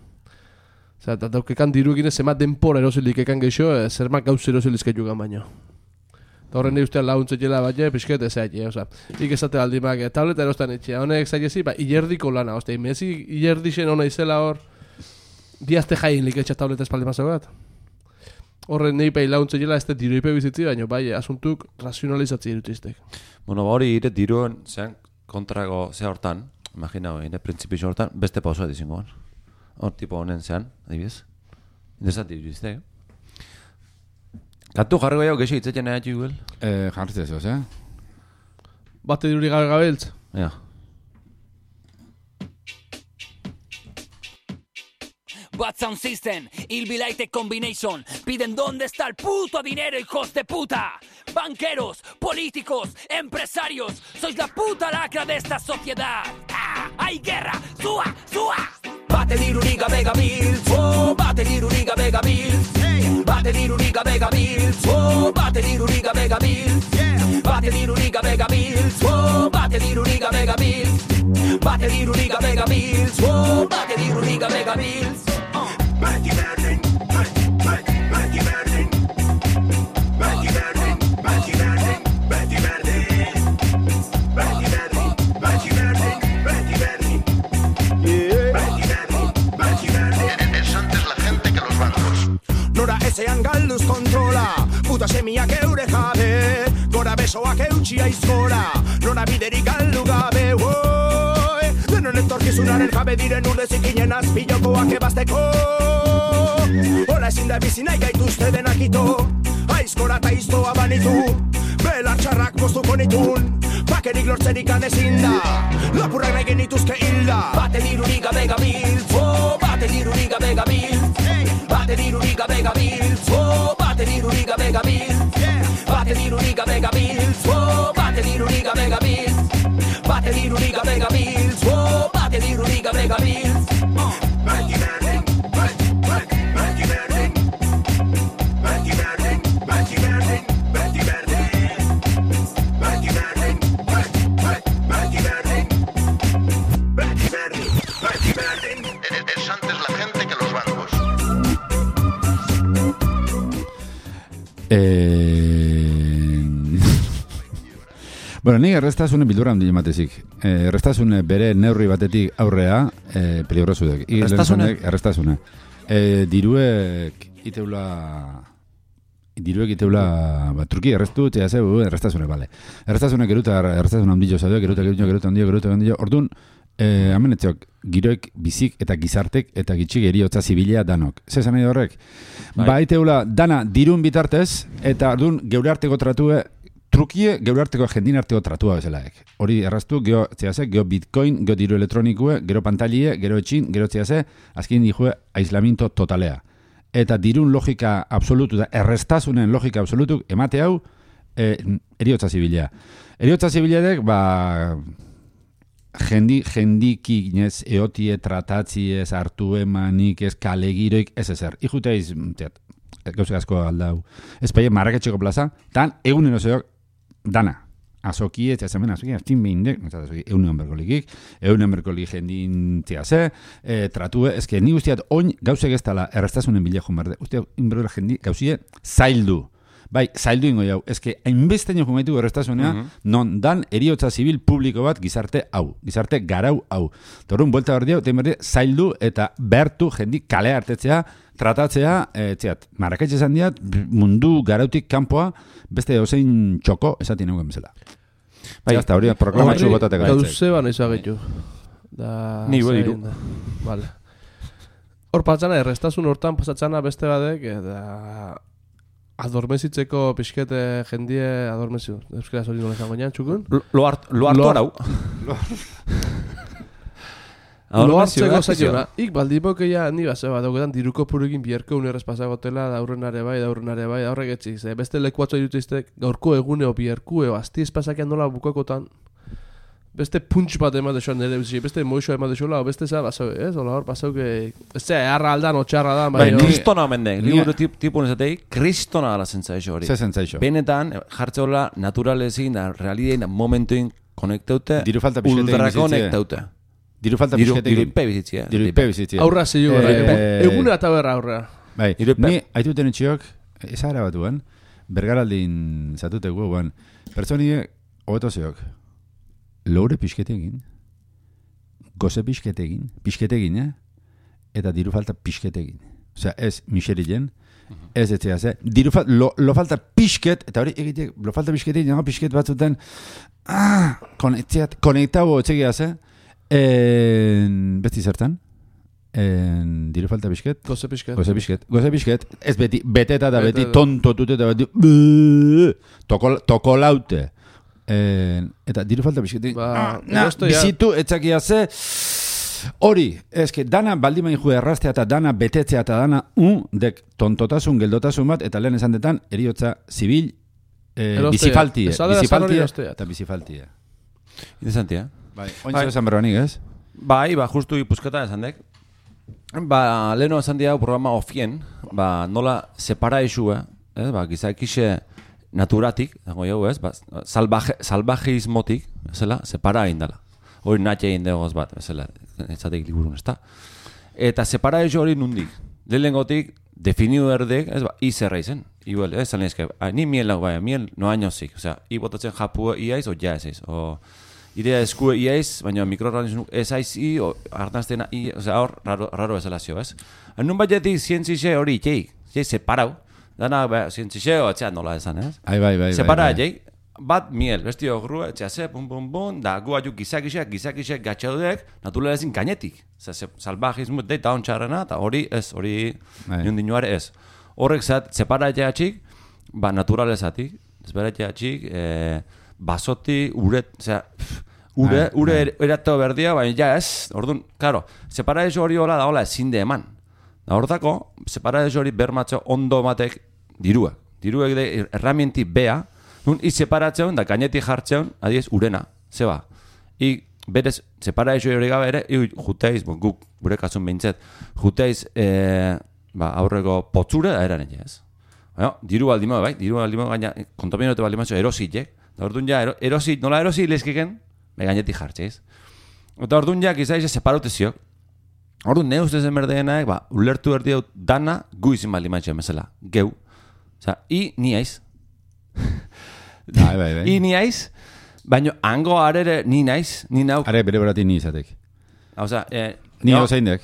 Osea, eta daukekan diruekin zemat denpora erosilik ekan geixo, zermak gauz erosilizketukan baino. Eta horren nahi ustean laguntzetela bat, pixket ezeatxe, oza. Ik esate aldimak, tableta erostan etxea, honek zailezi, ba, ilerdiko lana, oza, imezi ilerdixen hona izela hor, diazte jain liketxa tableta espaldi mazau bat. Horren nahi pai laguntzetela ez diruipe bizitzi, baina bai, asuntuk razionalizatzi irutiztek. Bueno, hori ire diruen, zean, kontrago ze hortan, imagina, ire printzipixo hortan, beste pausoa dizingoan. Hor tipo honen zean, adibidez. Interesanti irutiztek, Kantu jarriko jau, geixo hitzetzen nahi atxik guel? Jarritzea zoz, Bate diruri gabe gabeltz? Ja. Bad Sound System, Ilbilighted Combination. Piden dónde está el puto dinero, hijos de puta. Banqueros, políticos, empresarios. Sois la puta lacra de esta sociedad. ¡Ah! ¡Hay guerra! ¡Sua! Bate diruriga Vega Bills, oh, bate diruriga Vega Bills. Bate diruriga Vega Bills, oh, bate diruriga Vega Bills. Bate diruriga Vega Bills, oh, bate diruriga Vega Bills. Bate diruriga Vega Bills, oh, bate diruriga Vega Bills. semiak eure jabe, gora besoak eutxi aizkora, nora biderik galdu gabe, denon etorkizunaren jabe diren urdezik inen azpilokoak ebazteko. Hola ezin da bizi nahi gaituzte denak ito, aizkora eta iztoa banitu, belar txarrak moztuko nitun, bakerik lortzerik ezin da, lapurrak nahi genituzke hilda. Baten irurik gabe gabiltz, baten irurik gabe gabiltz, baten irurik gabe gabiltz, baten irurik gabe gabiltz, baten irurik gabe gabiltz, baten irurik gabe gabiltz, baten irurik gabe gabiltz, baten irurik gabe gabiltz. Beti berdin, beti berdin, beti berdin, beti berdin, beti berdin, beti berdin, beti berdin, beti berdin, beti berdin. Es antes la gente que los bancos. Bueno, nik errestasunen bildura handi ematezik. Errestasune bere neurri batetik aurrea peligrosudek. Errestasune. Diruek iteula truki errestu, txea ze, errestasune, bale. Errestasune geruta, errestasune handio zaudek, geruta handio. Orduan, hemen etxok, giroek bizik eta gizartek eta gitxik eriotza zibilia danok. Zezan nahi horrek? Ba, iteula dana dirun bitartez, eta orduan geure arteko tratue, trukie geure arteko jendin arteko tratua bezalaek. Hori erraztu, gero bitcoin, gero diru elektronikue, gero pantailie, gero etxin, gero txeaze, azkin dijue aislamiento totalea. Eta dirun logika absolutu da, errestasunen logika absolutu, emate hau, eriotza zibilia. Eriotza zibiliadek, jendiki inez eotie tratatzie ez hartu emanik ez kalegiroik ez ezer. Ijuteiz, gauzak asko aldau. Ez paie marraketxeko plaza, tan egunen oseok dana. Azokie, txazamen, aztin behindek, eunen berkolikik, eunen berkolik jendin txase, tratue, ezke ni guztiat oin gauzek ez tala errestasunen bilekun berde. Usteak, inberdola jendi gauzie zaildu. Bai, zaildu ingo jau. Ezke, hainbestein joan gaitu errestasunea, non dan eriotza zibil publiko bat gizarte hau, gizarte garau hau. Torun, buelta berdi hau, zaildu eta behartu jendi kale hartetzea, tratatzea, Marrakech esan diat, mundu garautik kanpoa, beste ozein txoko esatien egun bezala. Bai, hasta hori proklamatxu botatek gaitzek. Gauze ban izan gaitu. Ni diru. Vale. Hor patzana, errestasun hortan pasatzana beste badek, eta adormezitzeko pixkete jendie adormeziu. Euskara hori nola izango nian, txukun? Lo hartu arau. Lo hartzeko zaiona. Ik baldipok eia ni base bat dauketan diruko purukin bierko unerrez pasagotela daurrenare bai, daurrek etxiz. Beste lekuatzo irutiztek gaurko eguneo bierkueo asti espasakean nola bukakotan beste punch bat emate joan nire bizi, beste moixoa emate joan, beste zera basau, ez? Ola hor pasau que ez zera, harra aldan, otxarra da, bai, kristona mendek, liburu tipu nezatei, kristona gala zentzaixo hori. Ze zentzaixo? Benetan, jartze hola, naturalezin, realidein, momentuin konektaute, ultrakonektaute. Diru falta pixketek. Diru ipe bizitzia. Aurra zilu gara, egunera eta berra aurra. Bai, ni haituten etxiok, ezagara batuen, bergaraldin zatuteko, pertsonie, hobeto zeok. Loure pixketegin, goze pixketegin, eta diru falta pixketegin. Osea, ez miserilen, ez etzea ze. Lo falta pixket, eta hori egitek, lo falta pixketegin, nago pixket batzuten, konektau etxegia ze, beti zertan, diru falta pixket, goze pixket, ez beti, beteta da beti, tontotute eta beti, tokolaute. Eta diru falta bizketik bizitu etzakia ze hori, eske dana baldimain jue erraztea eta dana betetzea eta dana dek tontotasun, geldotasun bat eta lehen esan detan eriotza zibil bizifaltie eta bizifaltie interesantia ointzo esan berbanik, ez? Bai, justu ipuzketa esan dek leheno esan diau programa ofien nola separa isua gizakixe naturatik, dago jau ez, salvajeismotik, ezela, separa indala. Hori natxe egin dagoz bat, ezela, etzatek liburun, ez da. Eta separa eso hori nundik. Lehengotik, definiu erdek, ez izerra izen. Igual, ez zan ezke, ni miel lau bai, miel no añozik. Osea, botatzen japua iaiz, o ja ez eiz. O idea eskue iaiz, baina mikroorganismo ez aiz o hartaztena osea, hor, raro ezela zio, ez? Nun batetik zientzize hori, separau, Dana, zientziseo, etxean nola esan, ez? Bai. Separa jai, bat miel, bestio grua, etxea ze, pum, da gu aju gizakisek gatxaudek, naturala ezin gainetik. Salbajismo eta ontxarrena, eta hori ez, hori niundinuare ez. Horrek separa jatxik, naturalezatik, separa jatxik, basoti, ure erato berdia, baina ja ez, orduan, claro, separa hori hola da hola ezin de eman. Da hortako, separa hori bermatxo ondo matek diruak de erramienti bea, nun i separatzeun da gainetik jartzeun, adiez, urena, zeba. I berez, separa hori gabe ere, juteiz, guk, gure kasun behintzet, juteiz, aurreko potzure da eranen ez. Diru baldimo, gaina, kontaminote baldimo erositek, da orduan ja, nola erosi lezkeken, gainetik jartzeiz. Eta orduan ja, izaiz, separoteziok. Orduan, ne ustez emerdeenaek, ulertu erdi dut dana gu izin baldin mantxe emezela. Geu. Osa, ni aiz. Bai. I ni aiz, baina hango arere ni naiz, ni nauk. Are bere berati ni izatek. Osa, ni hau zein dek.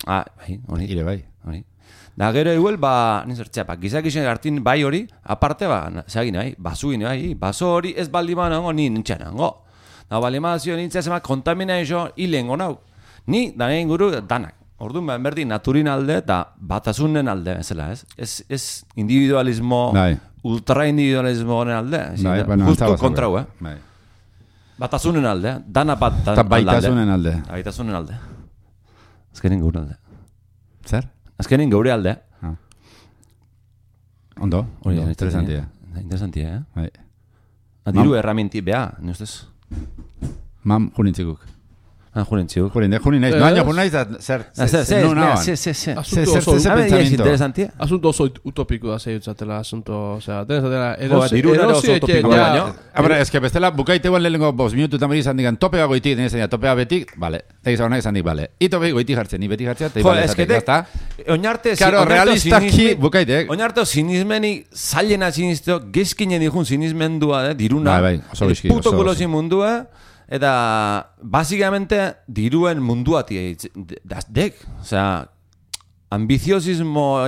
Bai, hori. Ire bai. Da gero igual, nizertzea, gizakisen hartin bai hori, aparte, zagin bai, basuin bai, baso hori ez baldiman hango, ni nintxan hango. Da balimazio nintzea zema kontaminazio hilengo nauk. Ni, da nahi inguru, danak. Orduan, berdi, naturin alde eta batasunen alde, ez? Ez individualismo, ultra-individualismo honen alde. Justu kontrau, Batasunen alde, dana bat alde. Baitasunen alde. Baitasunen alde. Azkenin gure alde. Zer? Azkenin gure alde. Ondo, interesantia. Interesantia, Bai. Diru erramienti beha, ni ustez? Mam, junintzikuk. Junintzikuk. Junin naiz. Baina, naiz da, zer. Asunto oso utopiko da zeiutzatela, asunto, osea, tenezatela, es que bestela, bukaiteguan lehenko 5 minutu eta meri izan digan, topea goitik, tenezan topea betik, bale. Tegiz hau nahi izan dik, bale. I topea goitik jartzen, ni betik jartzen, eta ibale zatek, oinarte, claro, realistaki bukaitek. Oinarte, sinismeni, zailena sinisteo, gezkinen dihun sinismendua, diruna, puto kulosi mundua, eta, basikamente, diruen munduati dek, osea, ambiziosismo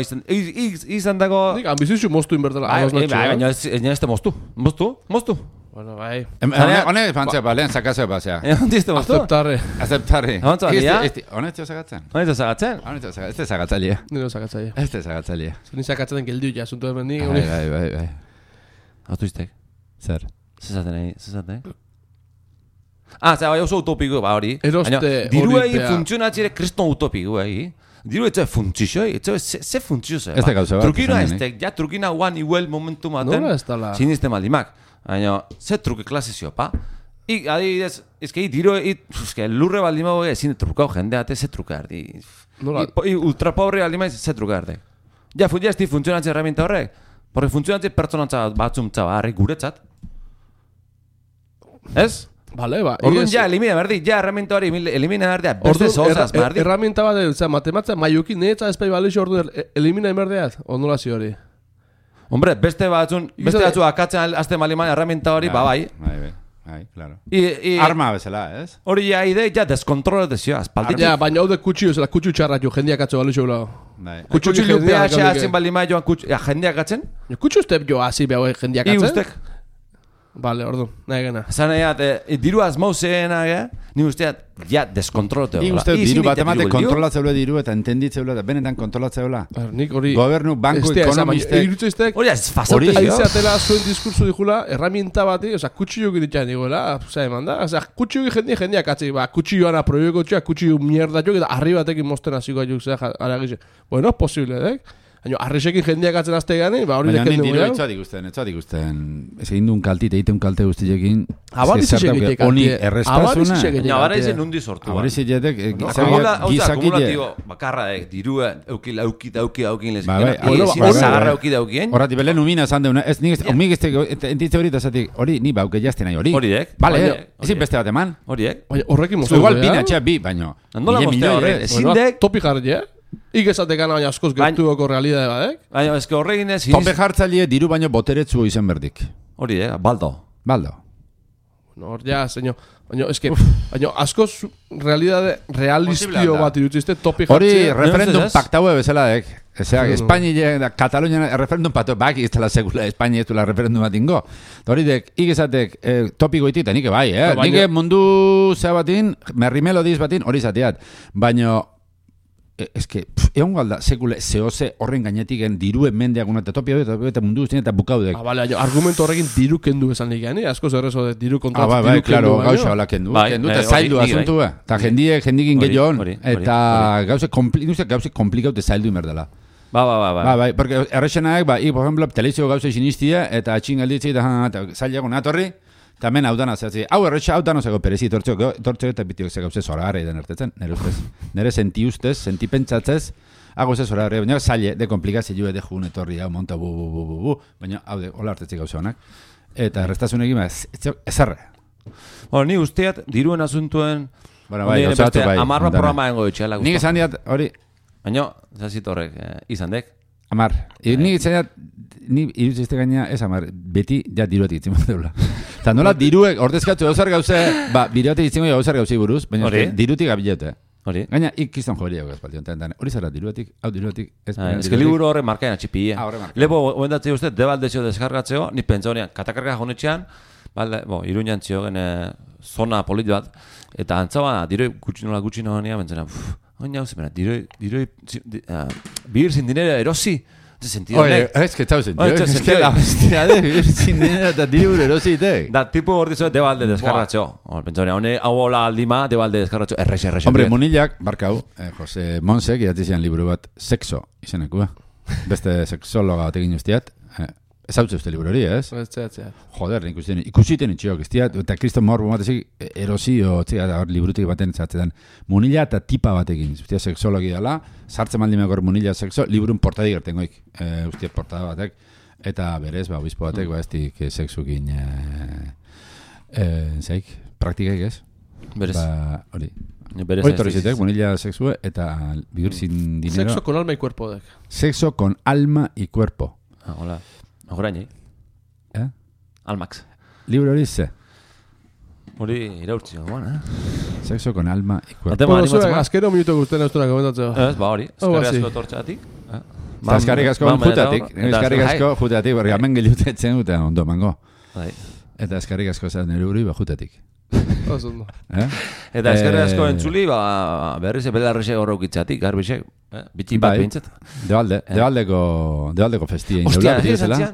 izan dago... Ambiziosio moztu inbertela. Baina ez da moztu. Bueno, bai. Hone fantzea, lehen sakazea basea. Ondizte moztu? Aceptarri. Hone ez zagatzen? Hone ez zagatzen? Ez da zagatzalia. Nire zagatzalia. Ez da zagatzalia. Ni zagatzen geldiu ja, asunto hemen ni. Bai. Autoiztek? Zer? Zezaten? Bai oso utopiko hori. Diruei funtzionatzire kriston utopiko Diru etxe funtzio, ze funtzio ze. Ez da gauza bat. Trukina ez tek, ja trukina guan igual momentu maten. Nola ez dala? Siniste maldimak. Baina, ze truke klasizio, pa? Adibidez, ezke diru, lurre baldimago ezin trukau jendeate, ze truke ardi. Ultrapobre baldimaiz, ze truke ardi. Ja, esti funtzionatzen herramienta horrek. Porque funtzionatzen pertsonantza batzuntza harri guretzat. Ez? Vale, ba. Orduan ja, elimina berdi, ja, herramienta hori elimina berdea, beste zozaz berdi. Herramienta bat, matematzea, maiokin netza espai balixo orduan elimina berdeaz, ondulazio hori. Hombre, beste batzu akatzen azte maliman herramienta hori, bai. Bai, claro. Arma bezala, ez? Hori ja, ja, deskontrola dezio, azpalditik. Ja, baina hau de kutxio, zela kutxio txarra jo, jendeak atzo balixo gula. Kutxio PH azin balima joan jendeak atzen? Kutxio ustep jo hazi behau jendeak atzen? Vale, ordu, nahi gana. Zan diru azmauzeena, ni usteat, ja, deskontrolatzea. Ni usteat, diru bat emate kontrolatzeula diru eta entenditzeula, eta benetan kontrolatzeula. Nik hori... Gobernu, banku, ekonomistek... Hori ez fazaute jo. Aizeatela zuen diskursu dijula, herramienta bati, oza, kutxioak ditxan diguela, oza, eman da, oza, kutxioak jendeak atzi, kutxioan aproioko txoa, kutxio mierda txoak, eta arri batekin mosten hasiko ajuk, zera, aragize. Bueno, posible, Baina, arresekin jendeak atzen azte gane, hori deken dugu. Baina, diru etxoat ikusten. Ez egin duen kaltit, egiten kalte guztiekin. Abarizik egitek. Honi errespazuna. Baina, abarizik nundi sortu. Abarizik egitek. Akumulatibo, bakarra, dirua, aukin lezkin. Zagarra aukien. Horrati, belen umina esan deuna. Ez nik, omik entitze hori eta zatik, hori, ni bauke jazten nahi hori. Horiek. Bale, ezin beste bat eman. Horiek. Horrekin moztu. Igual bina txea bi, baino. Andola moztea horrek. Ezindek. Topi jarri, Ikesate gana baina askoz gertuoko realidade badek. Baina ezke horregin ez... Tope jartzailie diru baino boteretzu izan berdik. Hori, baldo. Hor, ja, senyo. Baina, eske, askoz realidade realistio bat irutzizte topi jartzea. Hori, referendum paktaue bezala, Espainia da Katalunia referendum pato, baki ez dela sekula Espainia ez dela referendum bat ingo. Horidek, igezatek topikoitik, eta nike bai, nike mundu zea batin, merrimelodiz batin, hori zateat. Baina, eske, egon galda, sekule, zehose horren gainetik diruen mendeak eta topia eta mundu guztien eta bukaudek. Bale, argumento horrekin diru kendu esan nik gani, asko zerrezo de diru kontratu. Bai, claro, gauza hola kendu. Kendu eta zaildu asuntu, eta jendikin gehiagon, eta gauze komplikaute zaildu imerdela. Bai, porque errexenaek, por ejemplo, telezio gauze sinistia, eta atxingalditzi, eta zailago natorri, eta hemen hau dana zehatzi. Hau erretxa, hau dana zego perezi, tortzeo eta bitiok ze gauze zoragarra idan ertetzen, nire ustez. Nire senti ustez, senti pentsatzez, hago ze zoragarra, baina zaile, de komplikazio de jun etorri, hau monta baina hau de, hola hartetzik gauze honak. Eta errestasun egin, ezarre. Bueno, ni usteat, diruen asuntuen, bai, gauza batu bai. Amarra programa engo ditxela. Nik esan diat, hori, baina, zazit horrek, izan dek. Amar. Nik esan diat, ni iruzizte gaina ez amar, beti ja diruetik itzimo deula. Eta nola diruek, ordezkatzu gauzar gauze, bideotik itzimo gauzar gauzei buruz, baina dirutik abilete. Gaina, ikizan joberiak gazpaldion. Hori zara diruetik, hau diruetik. Ez que liburu horre markaen atxipie. Lepo, oendatzea uste, debaldezio deskargatzeo, ni pentsa honean, katakarga honetxean, Iruñan ziogen zona polit bat, eta antzaba, diroi gutxino honean, bentzena, oina hauze, vivir sin dinero erosi, ze sentido nek. Ez que txau sentido, ez que la bestia de vivir sin dinero eta direur erosi itek. Da, tipo hor dizo, debalde deskarratxo. Pentsa honean, hau hola aldima, debalde deskarratxo, errexe. Hombre, Munillak, barkau, Jose Monsek, idatzizian liburu bat, sexo, izenekua. Beste sexologa bat egin ustiat, ez hau uste liburu hori, ez? Joder, ikusiten itxiok, eta Kriston Morbo batezik erosio, liburutik baten zatzetan, Munilla eta tipa batekin, ustia sexologi dela, sartzen maldimekor Munilla sexo, liburun portadik gertengoik, ustia portada batek, eta berez, obispo batek, estik sexukin, zaik, praktikaik ez? Berez. Hori. Hori torrizitek, Munilla sexue, eta vivir sin dinero. Sexo con alma y cuerpo, dek. Sexo con alma y cuerpo. Hola. Horain, Almax. Libro hori ze? Hori iraurtzi gogoan, Sexo con alma y cuerpo. Bueno, zuen, azkero minuto guztien eustura komentatzeo. Ez, hori. Eskarri asko tortxatik. Eskarri asko jutatik. Eskarri asko jutatik, porque hemen gehiutetzen dute ondo mango. Eta eskarri asko zan nire uri jutatik. Osondo. Eta eskarri asko entzuli, berriz epelarrixe horraukitzatik, garbixek. Biti bat behintzat. Debaldeko festia. Ostia,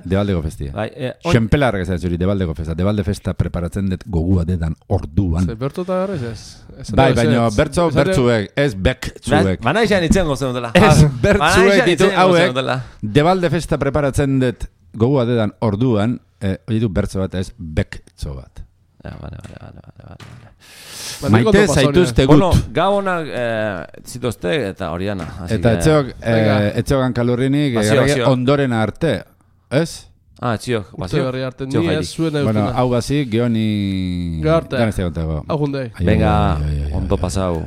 Debaldeko festia. Xenpelarrak ez da zuri, Debaldeko festa. Debalde festa preparatzen dut gogua dedan orduan. Ze bertu eta garriz ez? Bai, baina bertzuek, ez bekzuek. Bana izan itzen gozen dela. Ez bertzuek ditu hauek. Debalde festa preparatzen dut gogua dedan orduan, hori du bertzo bat ez bektzo bat. Vale. Maite zaituzte gut. Bueno, gabonak zituzte eta horiana. Eta etxogan kalurrinik ondoren arte, ez? Etxiok. Etxiok arte, ni ez zuen eustina. Bueno, hau gazik, geoni... Garte. Ganezte gontego. Hau jundei. Venga, ondo pasau.